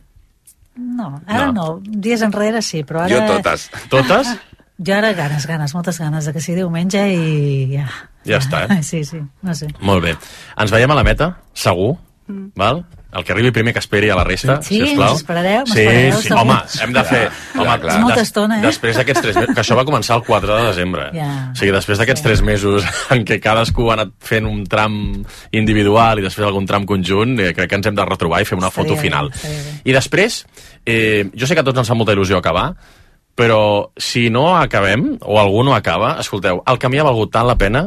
No, ara no. no. Dies enrere sí, però ara... Jo totes. Totes? Jo ara ganes, ganes, moltes ganes de que sigui diumenge i ja. Ja està, eh? Sí, sí, no sé. Molt bé. Ens veiem a la meta, segur, mm. val? El que arribi primer que esperi a la resta, sí, sisplau. Sí, esperareu, sí, sí. Home, hem de fer... Clar, home, clar. És molta estona, eh? Després d'aquests tres mesos... Que això va començar el quatre de desembre. Ja. O sigui, després d'aquests tres mesos en què cadascú ha anat fent un tram individual i després algun tram conjunt, eh, crec que ens hem de retrobar i fer una foto final. I després, eh, jo sé que a tots ens fa molta il·lusió acabar, però si no acabem, o algú no acaba, escolteu, el camí ha valgut tant la pena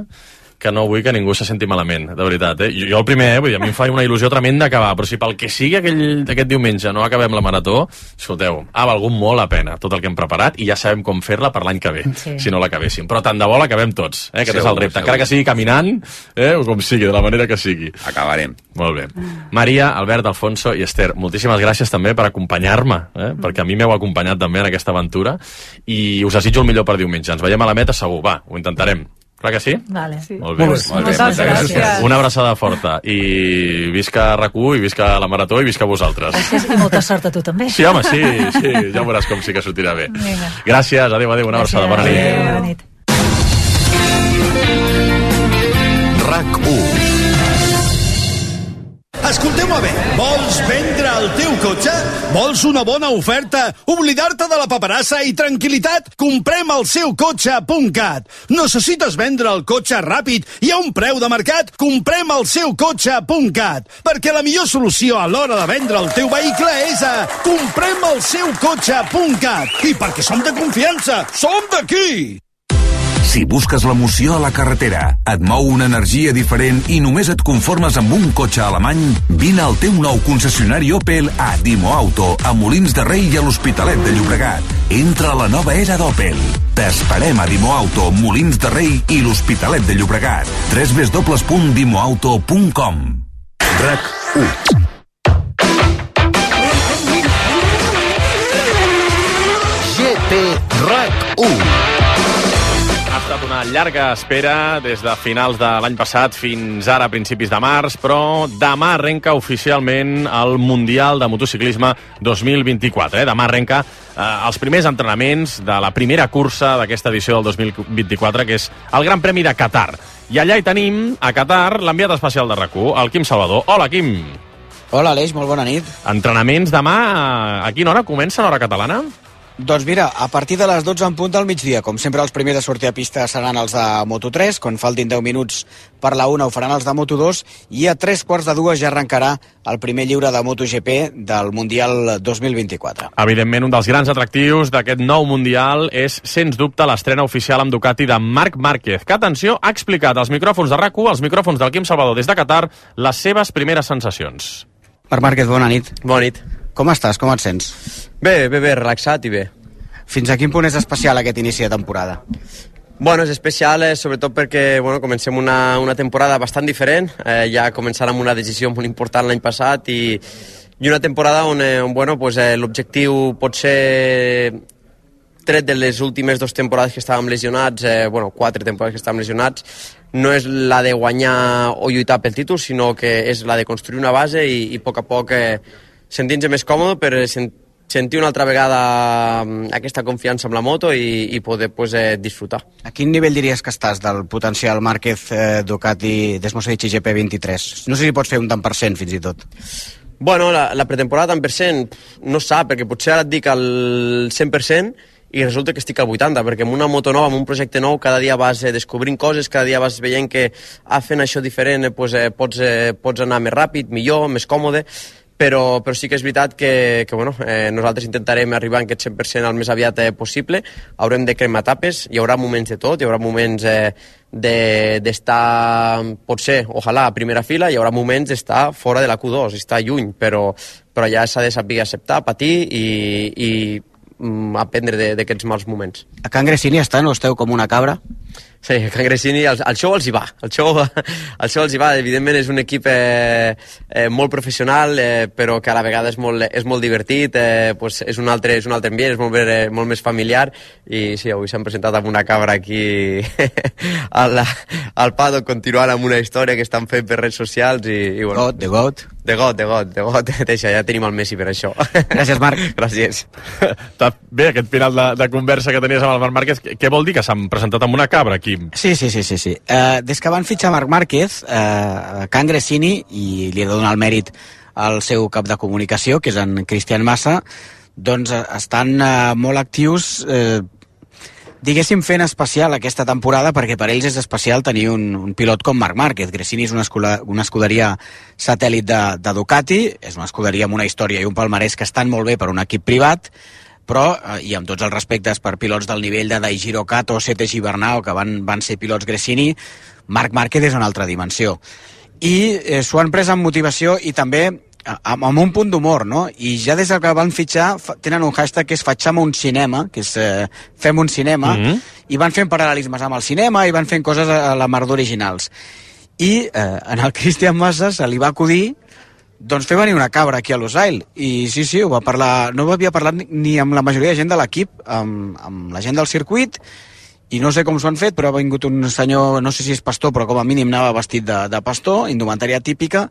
que no vull que ningú se senti malament, de veritat, eh? Jo, jo el primer, eh? Vull dir, a mi em fa una il·lusió tremenda acabar, però si pel que sigui aquell, aquest diumenge no acabem la marató, escolteu, ha valgut molt la pena tot el que hem preparat i ja sabem com fer-la per l'any que ve, sí. si no l'acabéssim. Però tant de bo l'acabem tots, eh? Aquest segur, és el repte. Segur. Encara que sigui caminant, eh? O com sigui, de la manera que sigui. Acabarem. Molt bé. Maria, Albert, Alfonso i Esther, moltíssimes gràcies també per acompanyar-me, eh? Perquè a mi m'heu acompanyat també en aquesta aventura i us desitjo el millor per diumenge. Ens veiem a la meta segur, va, ho intentarem. Clar que sí? Vale. Sí. Molt bé. Molt bé. Moltes gràcies. gràcies. Una abraçada forta. I visca RAC u, i visca la Marató, i visca vosaltres. Gràcies i molta sort a tu també. Sí, home, sí, sí. Ja veuràs com sí que sortirà bé. Vinga. Gràcies, adéu, adéu. Una abraçada. Bona nit. Adéu, bona nit. RAC u. Escolteu-me bé, vols vendre el teu cotxe? Vols una bona oferta? Oblidar-te de la paperassa i tranquil·litat? Comprem el seu cotxe punt cat. Necessites vendre el cotxe ràpid i a un preu de mercat? Comprem el seu cotxe punt cat. Perquè la millor solució a l'hora de vendre el teu vehicle és a comprem el seu cotxe punt cat. I perquè som de confiança, som d'aquí! Si busques l'emoció a la carretera, et mou una energia diferent i només et conformes amb un cotxe alemany, vine al teu nou concessionari Opel a Dimo Auto, a Molins de Rei i a l'Hospitalet de Llobregat. Entra a la nova era d'Opel. T'esperem a Dimo Auto, Molins de Rei i l'Hospitalet de Llobregat. w w w punt dimo auto punt com. RAC u. G T RAC u. Ha estat una llarga espera des de finals de l'any passat fins ara, a principis de març, però demà arrenca oficialment el Mundial de Motociclisme dos mil vint-i-quatre. Eh? Demà arrenca eh, els primers entrenaments de la primera cursa d'aquesta edició del dos mil vint-i-quatre, que és el Gran Premi de Qatar. I allà hi tenim, a Qatar, l'enviat especial de RAC u, el Quim Salvador. Hola, Quim. Hola, Aleix, molt bona nit. Entrenaments demà, a quina hora comencen, hora catalana? Doncs mira, a partir de les dotze en punt del migdia, com sempre els primers a sortir a pista seran els de Moto tres, quan faltin deu minuts per la una ho faran els de Moto dos, i a tres quarts de dues ja arrencarà el primer lliure de MotoGP del Mundial dos mil vint-i-quatre. Evidentment, un dels grans atractius d'aquest nou Mundial és, sens dubte, l'estrena oficial amb Ducati de Marc Márquez, que, atenció, ha explicat als micròfons de RAC u, als micròfons del Quim Salvador des de Qatar, les seves primeres sensacions. Marc Márquez, bona nit. Bona nit. Com estàs? Com et sents? Bé, bé, bé, relaxat i bé. Fins a quin punt és especial aquest inici de temporada? Bueno, és especial eh, sobretot perquè bueno, comencem una, una temporada bastant diferent. Eh, ja començant amb una decisió molt important l'any passat i, i una temporada on, eh, on bueno, pues, eh, l'objectiu pot ser, tret de les últimes dues temporades que estàvem lesionats, eh, bueno, quatre temporades que estàvem lesionats, no és la de guanyar o lluitar pel títol, sinó que és la de construir una base i, i a poc a poc eh, sentir-nos més còmode per sent, sentir una altra vegada aquesta confiança amb la moto i, i poder pues, eh, disfrutar. A quin nivell diries que estàs del potencial Márquez eh, Ducati Desmosedici G P vint-i-tres? No sé si pots fer un tant per cent fins i tot. Bueno, la, la pretemporada tant per cent no sap, perquè potser ara et dic el cent per cent i resulta que estic al vuitanta, perquè amb una moto nova, amb un projecte nou, cada dia vas eh, descobrint coses, cada dia vas veient que ah, fent això diferent eh, pues, eh, pots, eh, pots anar més ràpid, millor, més còmode, però, però sí que és veritat que, que bueno, eh, nosaltres intentarem arribar en aquest cent per cent el més aviat eh, possible, haurem de cremar etapes, hi haurà moments de tot, hi haurà moments eh, d'estar, de, potser, ojalà, a primera fila, hi haurà moments d'estar fora de la Q dos, estar lluny, però, però ja s'ha de saber acceptar, patir i, i aprendre d'aquests mals moments. A Can Gresini estan o esteu com una cabra? Sí, a Can Gresini, el, el show els hi va. El show, el show els hi va. Evidentment és un equip eh, eh, molt professional, eh, però que a la vegada és molt, és molt divertit, eh, pues és, un altre, és un altre ambient, és molt, eh, molt més familiar, i sí, avui s'han presentat amb una cabra aquí al, al paddock, continuant amb una història que estan fent per redes socials i, i bueno. God, de God. De God, de God, de God. Deixa, ja tenim el Messi per això. Gràcies, Marc. Gràcies. Bé, aquest final de, de conversa que tenies amb el Marc Márquez, què vol dir que s'han presentat amb una cabra aquí? Sí, sí, sí, sí, sí. Uh, des que van fitxar Marc Márquez, uh, Can Gresini, i li he de donar el mèrit al seu cap de comunicació, que és en Cristian Massa, doncs uh, estan uh, molt actius, uh, diguéssim, fent especial aquesta temporada, perquè per ells és especial tenir un, un pilot com Marc Márquez. Gresini és una, escola, una escuderia satèl·lit de, de Ducati, és una escuderia amb una història i un palmarès que estan molt bé per un equip privat, però, eh, i amb tots els respectes per pilots del nivell de Daijiro Kato o Sete Gibernau, que van, van ser pilots Gresini, Marc Márquez és una altra dimensió. I eh, s'ho han pres amb motivació i també amb, amb un punt d'humor, no? I ja des que van fitxar tenen un hashtag que és Fatxam un cinema, que és eh, fem un cinema, mm-hmm. i van fent paral·lelismes amb el cinema i van fent coses a, a la mar d'originals. I eh, en el Cristian Massa se li va acudir doncs fer venir una cabra aquí a Losail. I sí, sí, ho va parlar, no ho havia parlat ni, ni amb la majoria de gent de l'equip, amb, amb la gent del circuit, i no sé com s'ho han fet, però ha vingut un senyor, no sé si és pastor, però com a mínim anava vestit de, de pastor, indumentària típica,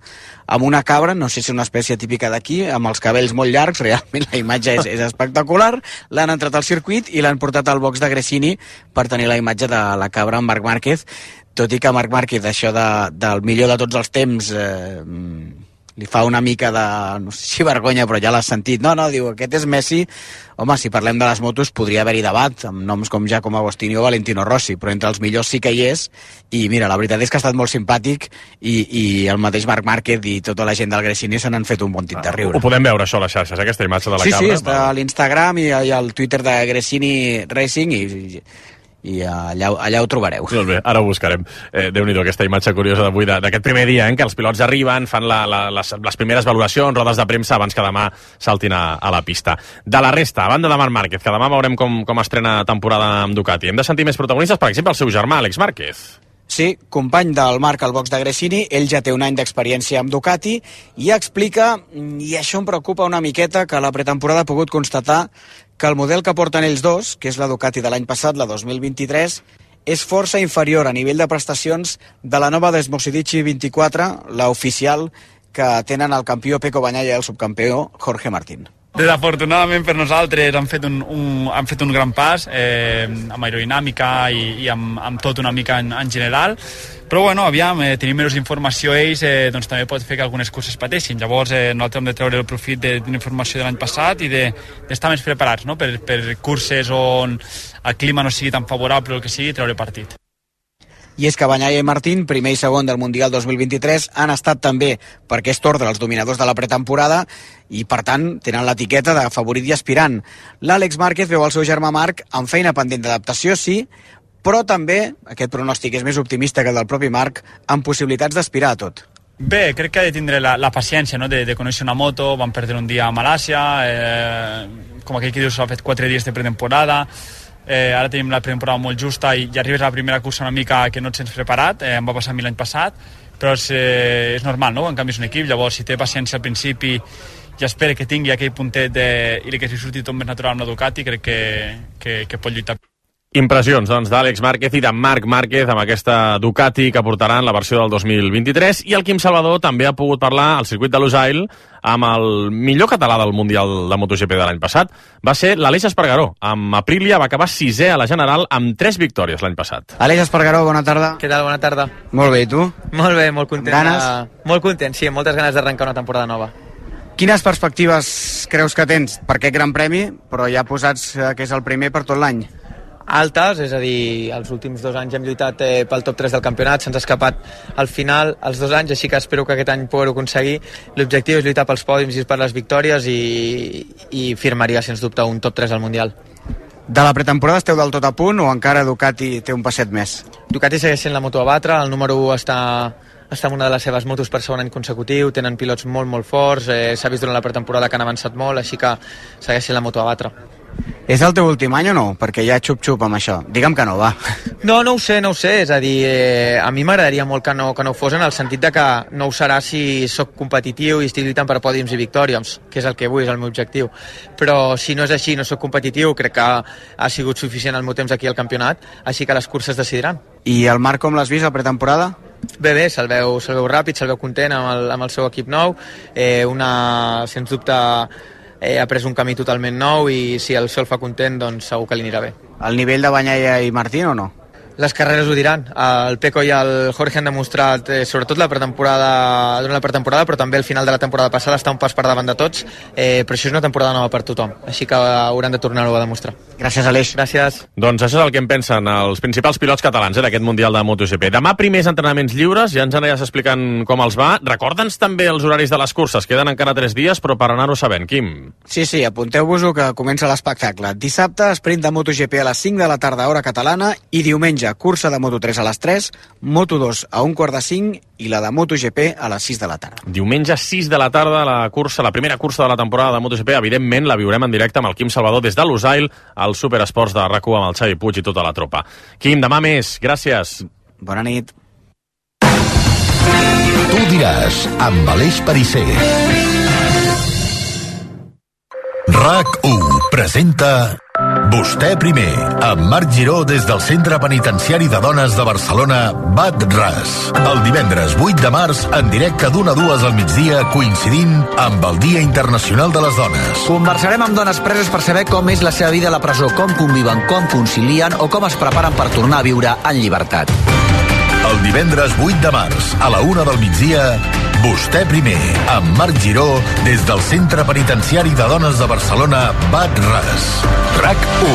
amb una cabra, no sé si és una espècie típica d'aquí, amb els cabells molt llargs, realment la imatge és, és espectacular, l'han entrat al circuit i l'han portat al box de Gresini per tenir la imatge de la cabra amb Marc Márquez, tot i que Marc Márquez, això de, del millor de tots els temps, eh, li fa una mica de, no sé si vergonya, però ja l'has sentit. No, no, diu, aquest és Messi. Home, si parlem de les motos, podria haver-hi debat, amb noms com Giacomo Agostini o Valentino Rossi, però entre els millors sí que hi és, i mira, la veritat és que ha estat molt simpàtic, i, i el mateix Marc Márquez i tota la gent del Gresini se n'han fet un bon tit de riure. Ho podem veure, això, a les xarxes, aquesta imatge de la sí, cabra. Sí, sí, està a l'Instagram i, i al Twitter de Gresini Racing, i... i i allà, allà ho trobareu. Molt bé, ara ho buscarem. Eh, Déu-n'hi-do, aquesta imatge curiosa d'avui, d'aquest primer dia, eh, en què els pilots arriben, fan la, la, les, les primeres valoracions, rodes de premsa, abans que demà saltin a, a la pista. De la resta, a banda de Marc Márquez, que demà veurem com, com estrena temporada amb Ducati, hem de sentir més protagonistes, per exemple, el seu germà, Àlex Márquez. Sí, company del Marc al box de Gresini, ell ja té un any d'experiència amb Ducati i explica, i això em preocupa una miqueta, que a la pretemporada ha pogut constatar que el model que porten ells dos, que és la Ducati de l'any passat, la dos mil vint-i-tres, és força inferior a nivell de prestacions de la nova Desmosedici vint-i-quatre, la oficial que tenen el campió Pecco Bagnaia i el subcampió Jorge Martín. Desafortunadament per nosaltres han fet un, un, han fet un gran pas eh, amb aerodinàmica i, i amb, amb tot una mica en, en general, però bueno, aviam, eh, tenim menys informació ells, eh, doncs també pot fer que algunes curses pateixin. Llavors eh, nosaltres hem de treure el profit de, de informació de l'any passat i d'estar de, més preparats, no? per, per curses on el clima no sigui tan favorable o el que sigui, treure partit. I és que Bagnaia i Martín, primer i segon del Mundial dos mil vint-i-tres, han estat també per aquest ordre els dominadors de la pretemporada i, per tant, tenen l'etiqueta de favorit i aspirant. L'Àlex Márquez veu el seu germà Marc amb feina pendent d'adaptació, sí, però també, aquest pronòstic és més optimista que el del propi Marc, amb possibilitats d'aspirar a tot. Bé, crec que ha de tindre la, la paciència, no? de, de conèixer una moto, van perdre un dia a Malàsia, eh, com aquell que diu, s'ha fet quatre dies de pretemporada, eh, ara tenim la pretemporada molt justa i, i arribes a la primera cursa una mica que no et sents preparat, eh, em va passar a mi l'any passat, però és, eh, és normal, no? En canvi és un equip, llavors si té paciència al principi i espera que tingui aquell puntet de, i que si surti tot més natural amb la Ducati, crec que, que, que pot lluitar. Impressions, doncs, d'Àlex Márquez i de Marc Márquez amb aquesta Ducati que portaran la versió del dos mil vint-i-tres, i el Quim Salvador també ha pogut parlar al circuit de Losail amb el millor català del Mundial de MotoGP de l'any passat. Va ser l'Aleix Espargaró. Amb Aprilia va acabar sisè a la General amb tres victòries l'any passat. Aleix Espargaró, bona tarda. Què tal, bona tarda. Molt bé, i tu? Molt bé, molt content. Ganes? De... Molt content, sí, amb moltes ganes d'arrencar una temporada nova. Quines perspectives creus que tens per aquest Gran Premi, però ja posats que és el primer per tot l'any? Altes, és a dir, els últims dos anys hem lluitat eh, pel top tres del campionat, se'ns ha escapat al final els dos anys, així que espero que aquest any poder-ho aconseguir. L'objectiu és lluitar pels pòdiums i per les victòries i, i firmaria, sens dubte, un top tres al Mundial. De la pretemporada esteu del tot a punt o encara Ducati té un passet més? Ducati segueix sent la moto a batre, el número u està, està en una de les seves motos per segon any consecutiu, tenen pilots molt, molt forts, eh, s'ha vist durant la pretemporada que han avançat molt, així que segueix sent la moto a batre. És el teu últim any o no? Perquè ja xup-xup amb això. Digue'm que no, va. No, no ho sé, no ho sé. És a dir, eh, a mi m'agradaria molt que no, que no ho fos, en el sentit de que no ho serà si sóc competitiu i estic lluitant per pòdiums i victòries, que és el que vull, és el meu objectiu. Però si no és així, no sóc competitiu, crec que ha sigut suficient el meu temps aquí al campionat, així que les curses decidiran. I el Marc com l'has vist a pretemporada? Bé, bé, se'l veu, se'l veu ràpid, se'l veu content amb el, amb el seu equip nou, eh, una, sens dubte, Eh, ha pres un camí totalment nou i si el sol fa content, doncs segur que li anirà bé. El nivell de Bagnaia i Martín o no? Les carreres ho diran. El Pecco i el Jorge han demostrat, eh, sobretot la pretemporada, durant la pretemporada, però també al final de la temporada passada, està un pas per davant de tots, eh, però això és una temporada nova per tothom, així que hauran de tornar-ho a demostrar. Gràcies, Aleix. Gràcies. Doncs això és el que en pensen els principals pilots catalans eh, d'aquest Mundial de MotoGP. Demà primers entrenaments lliures, ja ens aniràs explicant com els va. Recorda'ns també els horaris de les curses. Queden encara tres dies, però per anar-ho sabent. Quim? Sí, sí, apunteu-vos-ho que comença l'espectacle. Dissabte, sprint de MotoGP a les cinc de la tarda, hora catalana, i diumenge, cursa de Moto tres a les tres, Moto dos a un quart de cinc i la de MotoGP a les sis de la tarda. Diumenge sis de la tarda, la cursa, la primera cursa de la temporada de MotoGP. Evidentment, la viurem en directe amb el Quim Salvador des de Lusail, al Superesports de RAC u amb el Xavi Puig i tota la tropa. Quim, demà més. Gràcies. Bona nit. Tu diràs, amb Aleix Perisser. RAC u presenta Vostè primer, amb Marc Giró des del Centre Penitenciari de Dones de Barcelona, Bat Ras. El divendres vuit de març, en directe d'una a dues al migdia, coincidint amb el Dia Internacional de les Dones. Conversarem amb dones preses per saber com és la seva vida a la presó, com conviven, com concilien o com es preparen per tornar a viure en llibertat. El divendres vuit de març, a la una del migdia, Vostè primer, amb Marc Giró, des del Centre Penitenciari de Dones de Barcelona, Bat Ras. RAC u.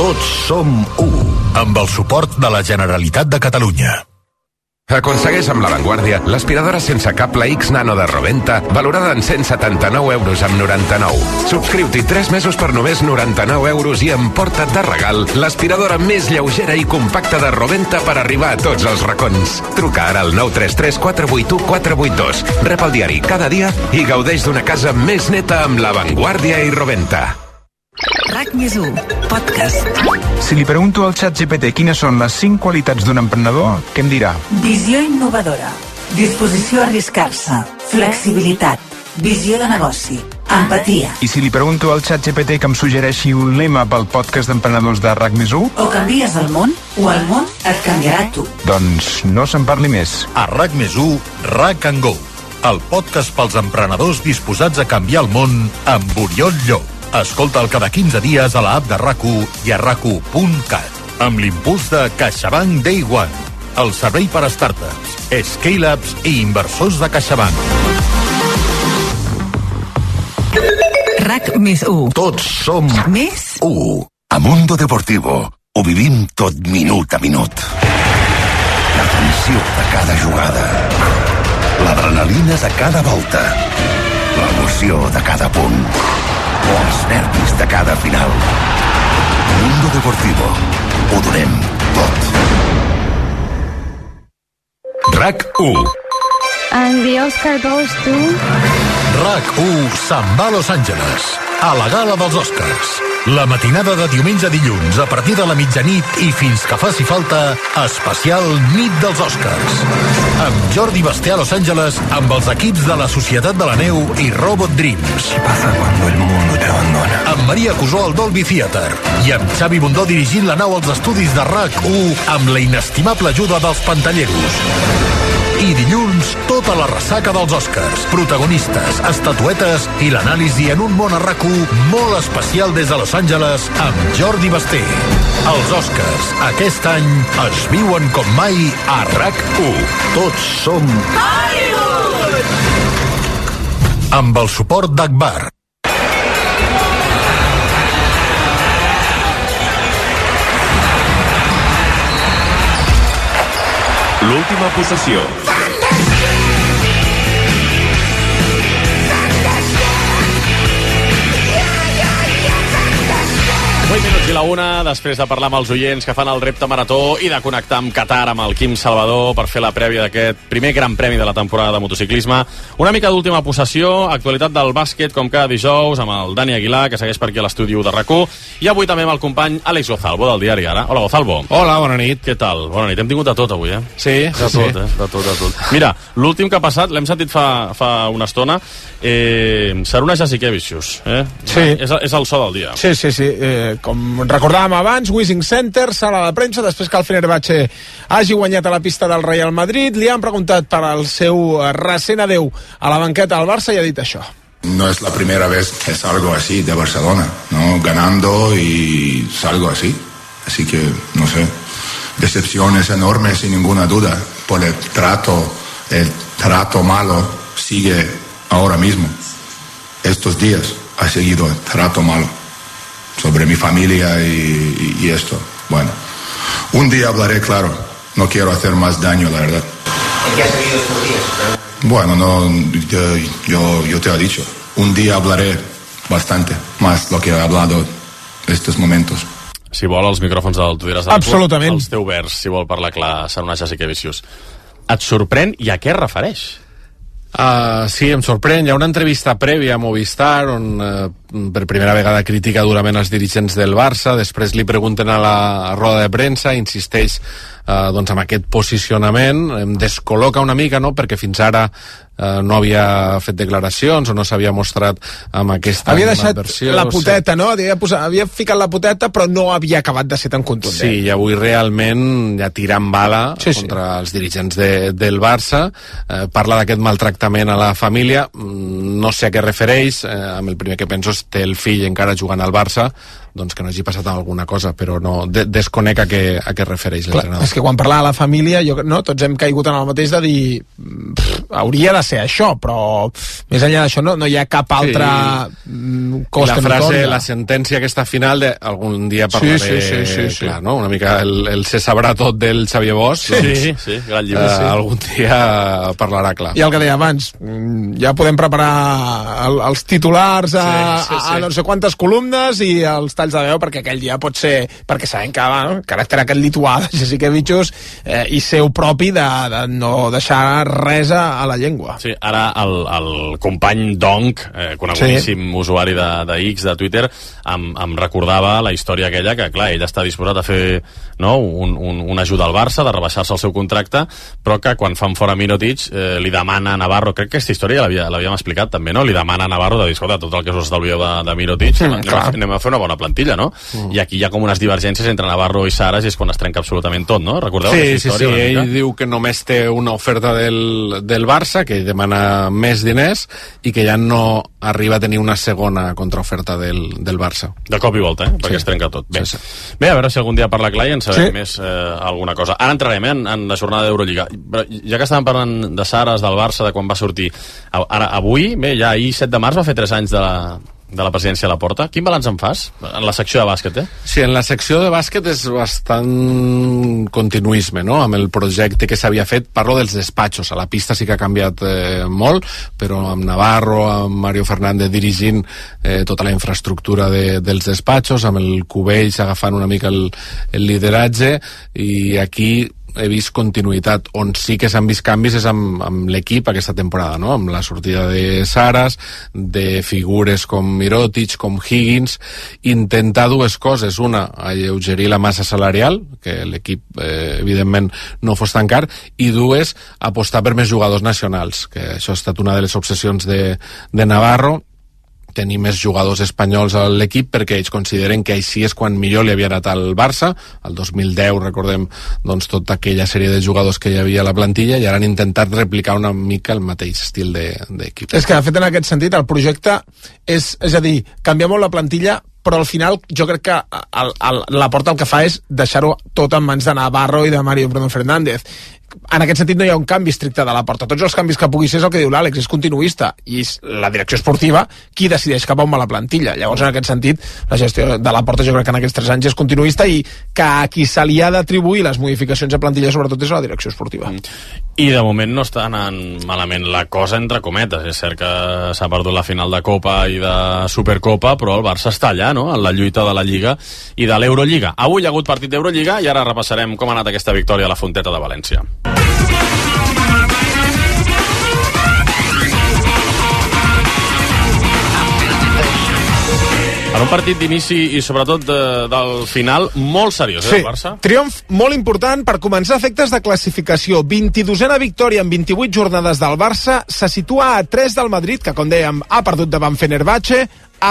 Tots som u. Amb el suport de la Generalitat de Catalunya. Aconsegueix amb l'avantguàrdia l'aspiradora sense cable X Nano de Roventa, valorada en cent setanta-nou euros amb noranta-nou. Subscriu-t'hi tres mesos per només noranta-nou euros i emporta't de regal l'aspiradora més lleugera i compacta de Roventa per arribar a tots els racons. Truca ara al nou tres tres quatre vuit u quatre vuit dos. Rep el diari cada dia i gaudeix d'una casa més neta amb l'avantguàrdia i Roventa. RAC més u, podcast. Si li pregunto al xat G P T quines són les cinc qualitats d'un emprenedor, què em dirà? Visió innovadora, disposició a arriscar-se, flexibilitat, visió de negoci, empatia. I si li pregunto al xat G P T que em suggereixi un lema pel podcast d'emprenedors de RAC més u? O canvies el món, o el món et canviarà tu. Doncs no se'n parli més. A RAC més u, RAC and Go, el podcast pels emprenedors disposats a canviar el món amb Oriol Llop. Escolta'l cada quinze dies a l'app de RAC u i a rac u punt cat. Amb l'impuls de CaixaBank Day One, el servei per a startups, scale-ups i inversors de CaixaBank. RAC més u. Tots som més u. A Mundo Deportivo ho vivim tot minut a minut. La tensió de cada jugada, l'adrenalina de cada volta, l'emoció de cada punt, els nervis de cada final. Mundo Deportivo. Ho donem tot. RAC u. And the Oscar goes to... RAC u se'n va a Los Angeles, a la gala dels Oscars. La matinada de diumenge a dilluns, a partir de la mitjanit i fins que faci falta, especial Nit dels Oscars. Amb Jordi Basté a Los Angeles, amb els equips de la Societat de la Neu i Robot Dreams. ¿Qué pasa cuando el mundo te abandona? Amb Maria Cusó al Dolby Theatre. I amb Xavi Bundó dirigint la nau als estudis de RAC u amb la inestimable ajuda dels pantalleros. I dilluns, tota la ressaca dels Oscars, protagonistes, estatuetes i l'anàlisi en un món a RAC u molt especial des de Los Angeles amb Jordi Basté. Els Oscars, aquest any, es viuen com mai a RAC u. Tots som Hollywood! Amb el suport d'Akbar. L'última possessió. vuit minuts i la una, després de parlar amb els oients que fan el repte marató i de connectar amb Qatar, amb el Quim Salvador, per fer la prèvia d'aquest primer gran premi de la temporada de motociclisme. Una mica d'última possessió, actualitat del bàsquet, com cada dijous, amb el Dani Aguilar, que segueix per aquí a l'estudi de RAC u, i avui també amb el company Àlex Gozalvo, del diari Ara. Hola, Gozalvo. Hola, bona nit. Què tal? Bona nit. Hem tingut de tot avui, eh? Sí, de tot, sí. Eh? De tot, de tot. Mira, l'últim que ha passat, l'hem sentit fa, fa una estona, eh, Saruna Jasikevicius, eh? Sí. És, és el so del dia. Sí, sí, sí. Eh, com recordàvem abans, Wishing Center, sala de premsa, després que el Fenerbahce hagi guanyat a la pista del Real Madrid, li han preguntat per al seu recent adeu a la banqueta del Barça i ha dit això. No es la primera vez que salgo así de Barcelona, ¿no? Ganando y salgo así. Así que, no sé, decepciones enormes sin ninguna duda. Por el trato, el trato malo sigue ahora mismo. Estos días ha seguido el trato malo. sobre mi familia y, y, y esto. Bueno, un día hablaré, claro. No quiero hacer más daño, la verdad. ¿En qué has vivido estos días? Bueno, no, yo, yo, yo te he dicho. Un día hablaré bastante más lo que he hablado estos momentos. Si vol, els micròfons del Tu diràs Absolutament. Els té oberts, si vol parlar clar, serà una Jessica Vicius. Et sorprèn i a què es refereix? Uh, sí, em sorprèn. Hi ha una entrevista prèvia a Movistar on uh, per primera vegada critica durament els dirigents del Barça, després li pregunten a la roda de premsa, insisteix uh, doncs amb aquest posicionament, em descol·loca una mica, no?, perquè fins ara uh, no havia fet declaracions o no s'havia mostrat amb aquesta havia deixat versió, la poteta, sí. no? Havia, posat, havia ficat la poteta però no havia acabat de ser tan contundent. Sí, i avui realment ja tirant bala sí, sí. contra els dirigents de, del Barça, eh, parla d'aquest maltractament a la família, no sé a què refereix, eh, amb el primer que penso és té el fill encara jugant al Barça, doncs que no hagi passat alguna cosa, però no de desconec a què, a què refereix l'entrenador. És que quan parla de la família, jo, no, tots hem caigut en el mateix de dir pff, hauria de ser això, però més enllà d'això no, no hi ha cap altre sí. cos la que frase, no la sentència aquesta final de algun dia parlaré, sí, sí, sí, sí, sí. clar, no? Una mica el, el se sabrà tot del Xavier Bosch, sí, doncs, sí, sí, gran llibre, eh, sí. algun dia parlarà clar. I el que deia abans, ja podem preparar el, els titulars a, sí, sí, sí. a no sé quantes columnes i els talls de veu, perquè aquell dia pot ser, perquè sabem que va, no? Caràcter aquest lituà de Jessica Vicius eh, i seu propi de, de no deixar res a la llengua. Sí, ara el, el company Donk, eh, conegudíssim sí. usuari de, de X, de Twitter, em, em recordava la història aquella que, clar, ell està disposat a fer no, un, un, un ajuda al Barça, de rebaixar-se el seu contracte, però que quan fan fora Mirotic eh, li demana a Navarro, crec que aquesta història l'havíem explicat també, no? Li demana a Navarro de dir, escolta, tot el que us estalvieu de, de Mirotic, mm, anem, a, anem a fer una bona plantilla, no? Mm. I aquí hi ha com unes divergències entre Navarro i Saras i és quan es trenca absolutament tot, no? Recordeu sí, aquesta història? Sí, sí, ell diu que només té una oferta del, del Barça, que demana més diners i que ja no arriba a tenir una segona contraoferta del, del Barça. De cop i volta, eh? Perquè sí. es trenca tot. Bé. Sí, sí. Bé, a veure si algun dia parla clar i en sabem sí. més eh, alguna cosa. Ara entrarem eh, en, en la jornada d'Eurolliga. Ja que estàvem parlant de Saras, del Barça, de quan va sortir, ara, avui, bé, ja ahir set de març va fer tres anys de la de la presidència a la porta. Quin balanç en fas? En la secció de bàsquet, eh? Sí, en la secció de bàsquet és bastant continuisme, no?, amb el projecte que s'havia fet. Parlo dels despatxos. A la pista sí que ha canviat eh, molt, però amb Navarro, amb Mario Fernández dirigint eh, tota la infraestructura de, dels despatxos, amb el Cubells agafant una mica el, el lideratge, i aquí he vist continuïtat. On sí que s'han vist canvis és amb, amb l'equip aquesta temporada, no? Amb la sortida de Saras, de figures com Mirotic, com Higgins, intentar dues coses. Una, alleugerir la massa salarial, que l'equip eh, evidentment no fos tan car, i dues, apostar per més jugadors nacionals, que això ha estat una de les obsessions de, de Navarro, tenir més jugadors espanyols a l'equip, perquè ells consideren que així és quan millor li havia anat al Barça. El dos mil deu, recordem, doncs, tota aquella sèrie de jugadors que hi havia a la plantilla, i ara han intentat replicar una mica el mateix estil d'equip. És que, de fet, en aquest sentit, el projecte és, és a dir, canvia molt la plantilla, però al final jo crec que el, el, la Porta el que fa és deixar-ho tot en mans de Navarro i de Mario Bruno Fernández. En aquest sentit no hi ha un canvi estricte de la Porta. Tots els canvis que pugui ser és el que diu l'Àlex, és continuista, i és la direcció esportiva qui decideix cap a on va la plantilla. Llavors, en aquest sentit, la gestió de la Porta jo crec que en aquests tres anys és continuista, i que a qui se li ha d'atribuir les modificacions de plantilla sobretot és la direcció esportiva. I de moment no està anant malament la cosa, entre cometes. És cert que s'ha perdut la final de Copa i de Supercopa, però el Barça està allà, no?, en la lluita de la Lliga i de l'Eurolliga. Avui hi ha hagut partit d'Eurolliga i ara repassarem com ha anat aquesta victòria a la Fonteta de València. En un partit d'inici i sobretot de, del final molt seriós, eh, sí, el Barça? Triomf molt important per començar efectes de classificació. vint-i-dosena victòria en vint-i-vuit jornades del Barça, se situa a tres del Madrid, que com dèiem ha perdut davant Fenerbahçe,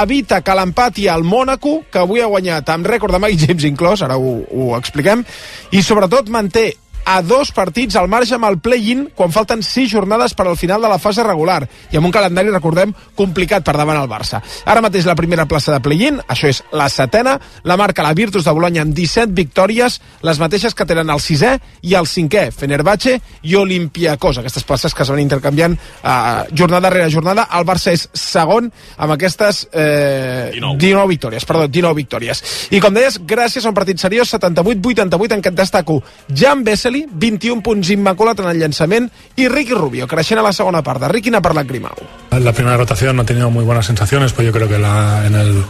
evita que l'empati al Mònaco, que avui ha guanyat amb rècord de Mike James inclòs, ara ho, ho expliquem, i sobretot manté a dos partits al marge amb el play-in quan falten sis jornades per al final de la fase regular i amb un calendari, recordem, complicat per davant el Barça. Ara mateix la primera plaça de play-in, això és la setena, la marca la Virtus de Bologna amb disset victòries, les mateixes que tenen el sisè i el cinquè, Fenerbahce i Olympiacos, aquestes places que es van intercanviant eh, jornada rere jornada. El Barça és segon amb aquestes eh, dinou victòries, perdó, dinou victòries. I com deies, gràcies a un partit seriós, setanta-vuit vuitanta-vuit, en què et destaco Jan Vesely, vint-i-un punts immaculat en el llançament, i Ricky Rubio, creixent a la segona part. De Ricky n'ha parlat Grimau. La primera rotación no ha tenido muy buenas sensaciones, pues yo creo que la, en, el,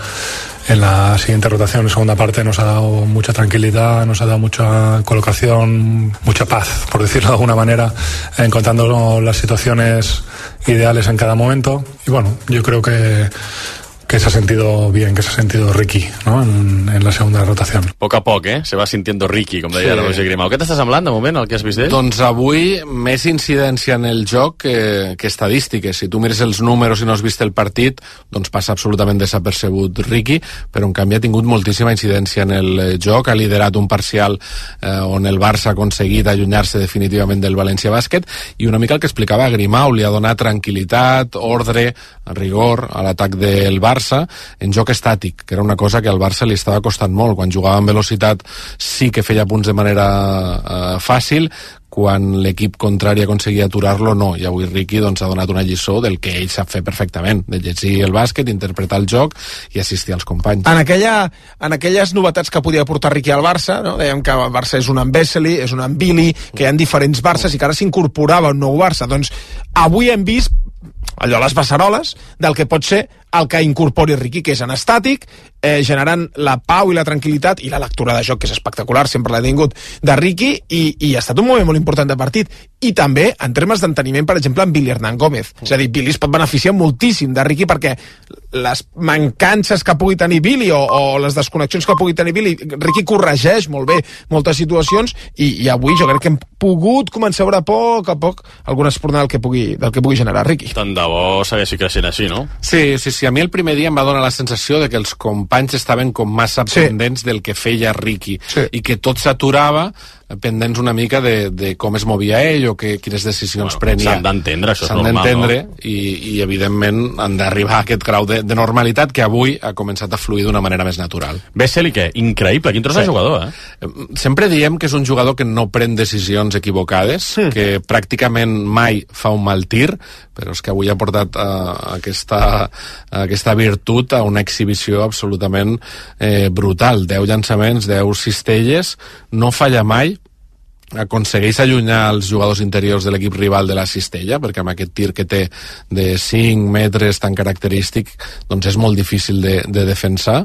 en la siguiente rotación, en segunda parte, nos ha dado mucha tranquilidad, nos ha dado mucha colocación, mucha paz, por decirlo de alguna manera, encontrando las situaciones ideales en cada momento. Y bueno, yo creo que que se ha sentido bien, que se ha sentido Ricky, ¿no? En, en la segunda rotación. Poc a poc, eh? Se va sintiendo Ricky, com deia sí. Roger Grimau. Què t'està semblant, de moment, el que has vist d'ell? Doncs avui, més incidència en el joc que, que estadístiques. Si tu mires els números i no has vist el partit, doncs passa absolutament desapercebut Ricky, però en canvi ha tingut moltíssima incidència en el joc, ha liderat un parcial eh, on el Barça ha aconseguit allunyar-se definitivament del València Bàsquet, i una mica el que explicava Grimau, li ha donat tranquil·litat, ordre, rigor a l'atac del Barça, en joc estàtic, que era una cosa que al Barça li estava costant molt. Quan jugava amb velocitat sí que feia punts de manera eh, fàcil, quan l'equip contrari aconseguia aturar-lo, no. I avui Ricky doncs, ha donat una lliçó del que ell sap fer perfectament, de llegir el bàsquet, interpretar el joc i assistir als companys. En, aquella, en aquelles novetats que podia portar Ricky al Barça, no? Dèiem que el Barça és un amb Vesely, és un amb Billy, que hi ha diferents Barças i que ara s'incorporava un nou Barça. Doncs avui hem vist allò, les beceroles del que pot ser el que incorpori Ricky, que és en estàtic, eh, generant la pau i la tranquil·litat i la lectura de joc, que és espectacular, sempre l'ha tingut, de Ricky, i, i ha estat un moment molt important de partit. I també, en termes d'enteniment, per exemple, amb Billy Hernán Gómez. És a dir, Billy es pot beneficiar moltíssim de Ricky, perquè les mancances que pugui tenir Billy o, o les desconnexions que pugui tenir Billy, Ricky corregeix molt bé moltes situacions, i, i avui jo crec que hem pogut començar a veure a poc a poc alguna espornada del que pugui, del que pugui generar Ricky. Tant de bo segueixi creixent així, no? Sí, sí, sí. A mi el primer dia em va donar la sensació de que els companys estaven com massa sí. pendents del que feia Ricky, sí. i que tot s'aturava pendents una mica de, de com es movia ell o que, quines decisions bueno, prenia. S'han d'entendre, això és s'han normal, d'entendre, no? i, i evidentment han d'arribar a aquest grau de, de normalitat que avui ha començat a fluir d'una manera més natural. Vesely, què? Increïble, quin tros sí. de jugador, eh? Sempre diem que és un jugador que no pren decisions equivocades, mm. que pràcticament mai fa un mal tir, però és que avui ha portat uh, aquesta, uh, aquesta virtut a una exhibició absolutament eh, brutal. deu llançaments, deu cistelles, no falla mai, aconsegueix allunyar els jugadors interiors de l'equip rival de la cistella, perquè amb aquest tir que té de cinc metres tan característic, doncs és molt difícil de, de defensar,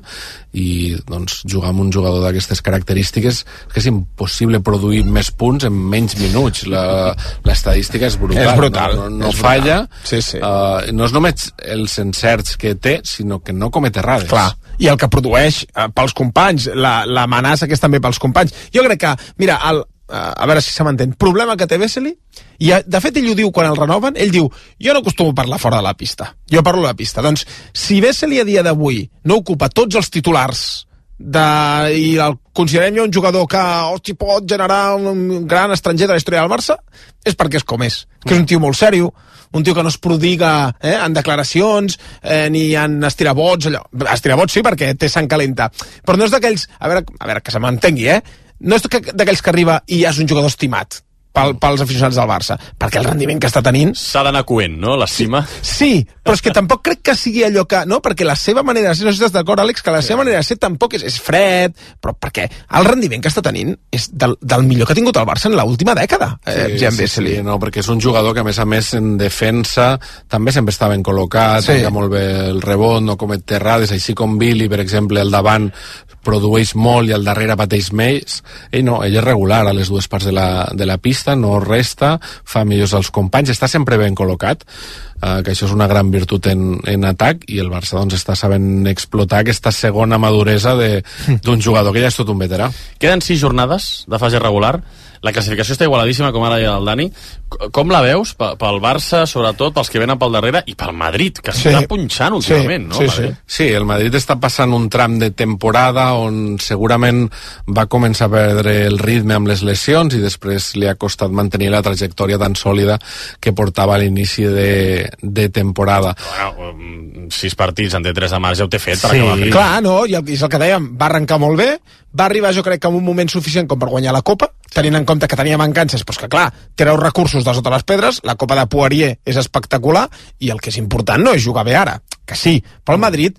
i doncs jugar amb un jugador d'aquestes característiques que és impossible produir més punts en menys minuts. L'estadística és brutal, és brutal no, no, no és falla brutal. Sí, sí. Uh, no és només els encerts que té, sinó que no comet errades. Clar, i el que produeix uh, pels companys, l'amenaça la, que és també pels companys. Jo crec que, mira, el, a veure si se m'entén, problema que té Vesely, i de fet ell ho diu quan el renoven, ell diu, jo no acostumo a parlar fora de la pista, jo parlo de la pista. Doncs si Vesely a dia d'avui no ocupa tots els titulars de, i el considerem jo un jugador que hosti, pot generar un gran estranger de la història del Barça, és perquè és com és, que és un tio molt sèrio, un tio que no es prodiga eh, en declaracions eh, ni en estirabots, allò. Estirabots sí, perquè té sang calenta, però no és d'aquells, a veure, a veure que se m'entengui, eh? No és d'aquells que arriba i ja és un jugador estimat pel, pels aficionats del Barça, perquè el rendiment que està tenint... S'ha d'anar coent, no?, l'estima. Sí, sí, però és que tampoc crec que sigui allò que... No, perquè la seva manera de ser, no sé si estàs d'acord, Àlex, que la sí. seva manera de ser tampoc és, és fred, però perquè el rendiment que està tenint és del, del millor que ha tingut el Barça en l'última dècada, eh, sí, Jan sí, Vesely. Sí, no, perquè és un jugador que, a més a més, en defensa també sempre està ben col·locat, sí. molt bé el rebot, no comet errades, així com Billy, per exemple, al davant produeix molt i al darrere pateix més. Ell no, ell és regular a les dues parts de la, de la pista, no resta, fa millors als companys, està sempre ben col·locat. eh, que això és una gran virtut en, en atac, i el Barça doncs està sabent explotar aquesta segona maduresa d'un jugador que ja és tot un veterà. Queden sis jornades de fase regular. La classificació està igualadíssima, com ara deia el Dani. Com la veus pel Barça, sobretot pels que venen pel darrere, i pel Madrid, que s'està sí. punxant últimament, sí, no? Sí, sí. sí, el Madrid està passant un tram de temporada on segurament va començar a perdre el ritme amb les lesions i després li ha costat mantenir la trajectòria tan sòlida que portava a l'inici de, de temporada. Bueno, sis partits en té tres de març ja ho té fet per sí. acabar fent. Clar, no, i és el que dèiem, va arrencar molt bé, va arribar jo crec que en un moment suficient com per guanyar la Copa, tenint en compte que tenia mancances, però que clar, treu recursos de sota les pedres, la Copa de Poirier és espectacular, i el que és important no és jugar bé ara, que sí, però el Madrid,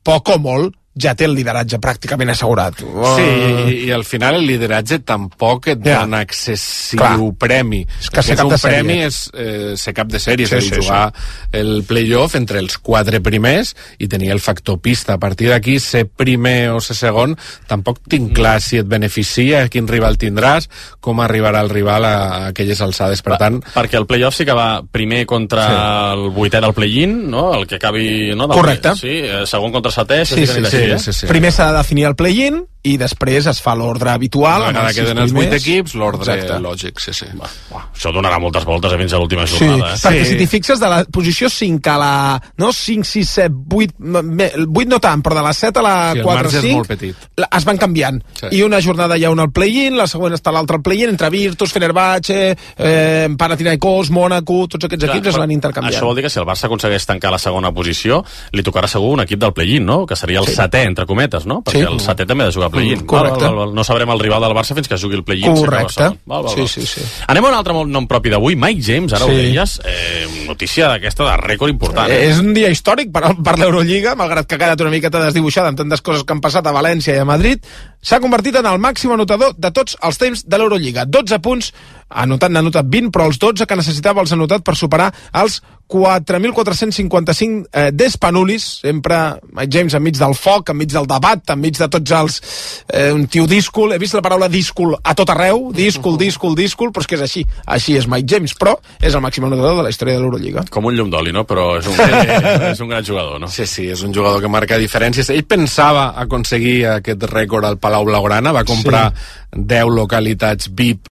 poc o molt, ja té el lideratge pràcticament assegurat. Sí, i, i al final el lideratge tampoc et yeah. dona excessiu Clar. premi. És que ser cap un de sèrie. premi és eh, ser cap de sèrie, sí, és a dir, sí, jugar sí. el play-off entre els quatre primers i tenir el factor pista. A partir d'aquí, ser primer o ser segon, tampoc tinc clar mm. si et beneficia, quin rival tindràs, com arribarà el rival a, a aquelles alçades. Per tant... Perquè el play-off sí que va primer contra sí. el vuitè del play-in, no? El que acabi... No? Del Correcte. Play, sí, segon contra setè... Sí, sí, sí, sí. Sí, sí. Primer s'ha de definir el play-in i després es fa l'ordre habitual. Ara queden els vuit equips, l'ordre lògic, sí, sí. Va, va, això donarà moltes voltes fins a l'última jornada. Sí, eh? perquè sí. si t'hi fixes de la posició cinc a la... No, cinc, sis, set, vuit... vuit no tant, però de la set a la sí, quatre, cinc... Es van canviant. Sí. I una jornada hi ha una al play-in, la següent està l'altra al play-in, entre Virtus, Fenerbahce, eh, Panathinaikos, Mónaco, tots aquests Clar, equips es van intercanviant. Això vol dir que si el Barça aconsegueix tancar la segona posició, li tocarà segur un equip del play-in, no? Que seria el sí. setè, entre cometes, no? Perquè sí. el setè també ha de jugar play-in. Correcte. Val, val, val. No sabrem el rival del Barça fins que jugui el play-in. Correcte. Val, val, val. Sí, sí, sí. Anem a un altre nom propi d'avui, Mike James, ara sí. ho deies, eh, notícia d'aquesta de rècord important. Eh? És un dia històric per, per l'Eurolliga, malgrat que ha quedat una miqueta desdibuixada amb tantes coses que han passat a València i a Madrid, s'ha convertit en el màxim anotador de tots els temps de l'Eurolliga. dotze punts, anotat n'ha anotat vint, però els dotze que necessitava els ha anotat per superar els quatre mil quatre-cents cinquanta-cinc eh, d'Espanulis, sempre Mike James enmig del foc, enmig del debat, enmig de tots els... Eh, un tio díscol, he vist la paraula díscol a tot arreu, díscol, díscol, díscol, però és que és així, així és Mike James, però és el màxim anotador de la història de l'Eurolliga. Com un llum d'oli, no? Però és un, és un gran jugador, no? Sí, sí, és un jugador que marca diferències. Ell pensava aconseguir aquest rècord al Palau Blaugrana, va comprar sí. deu localitats V I P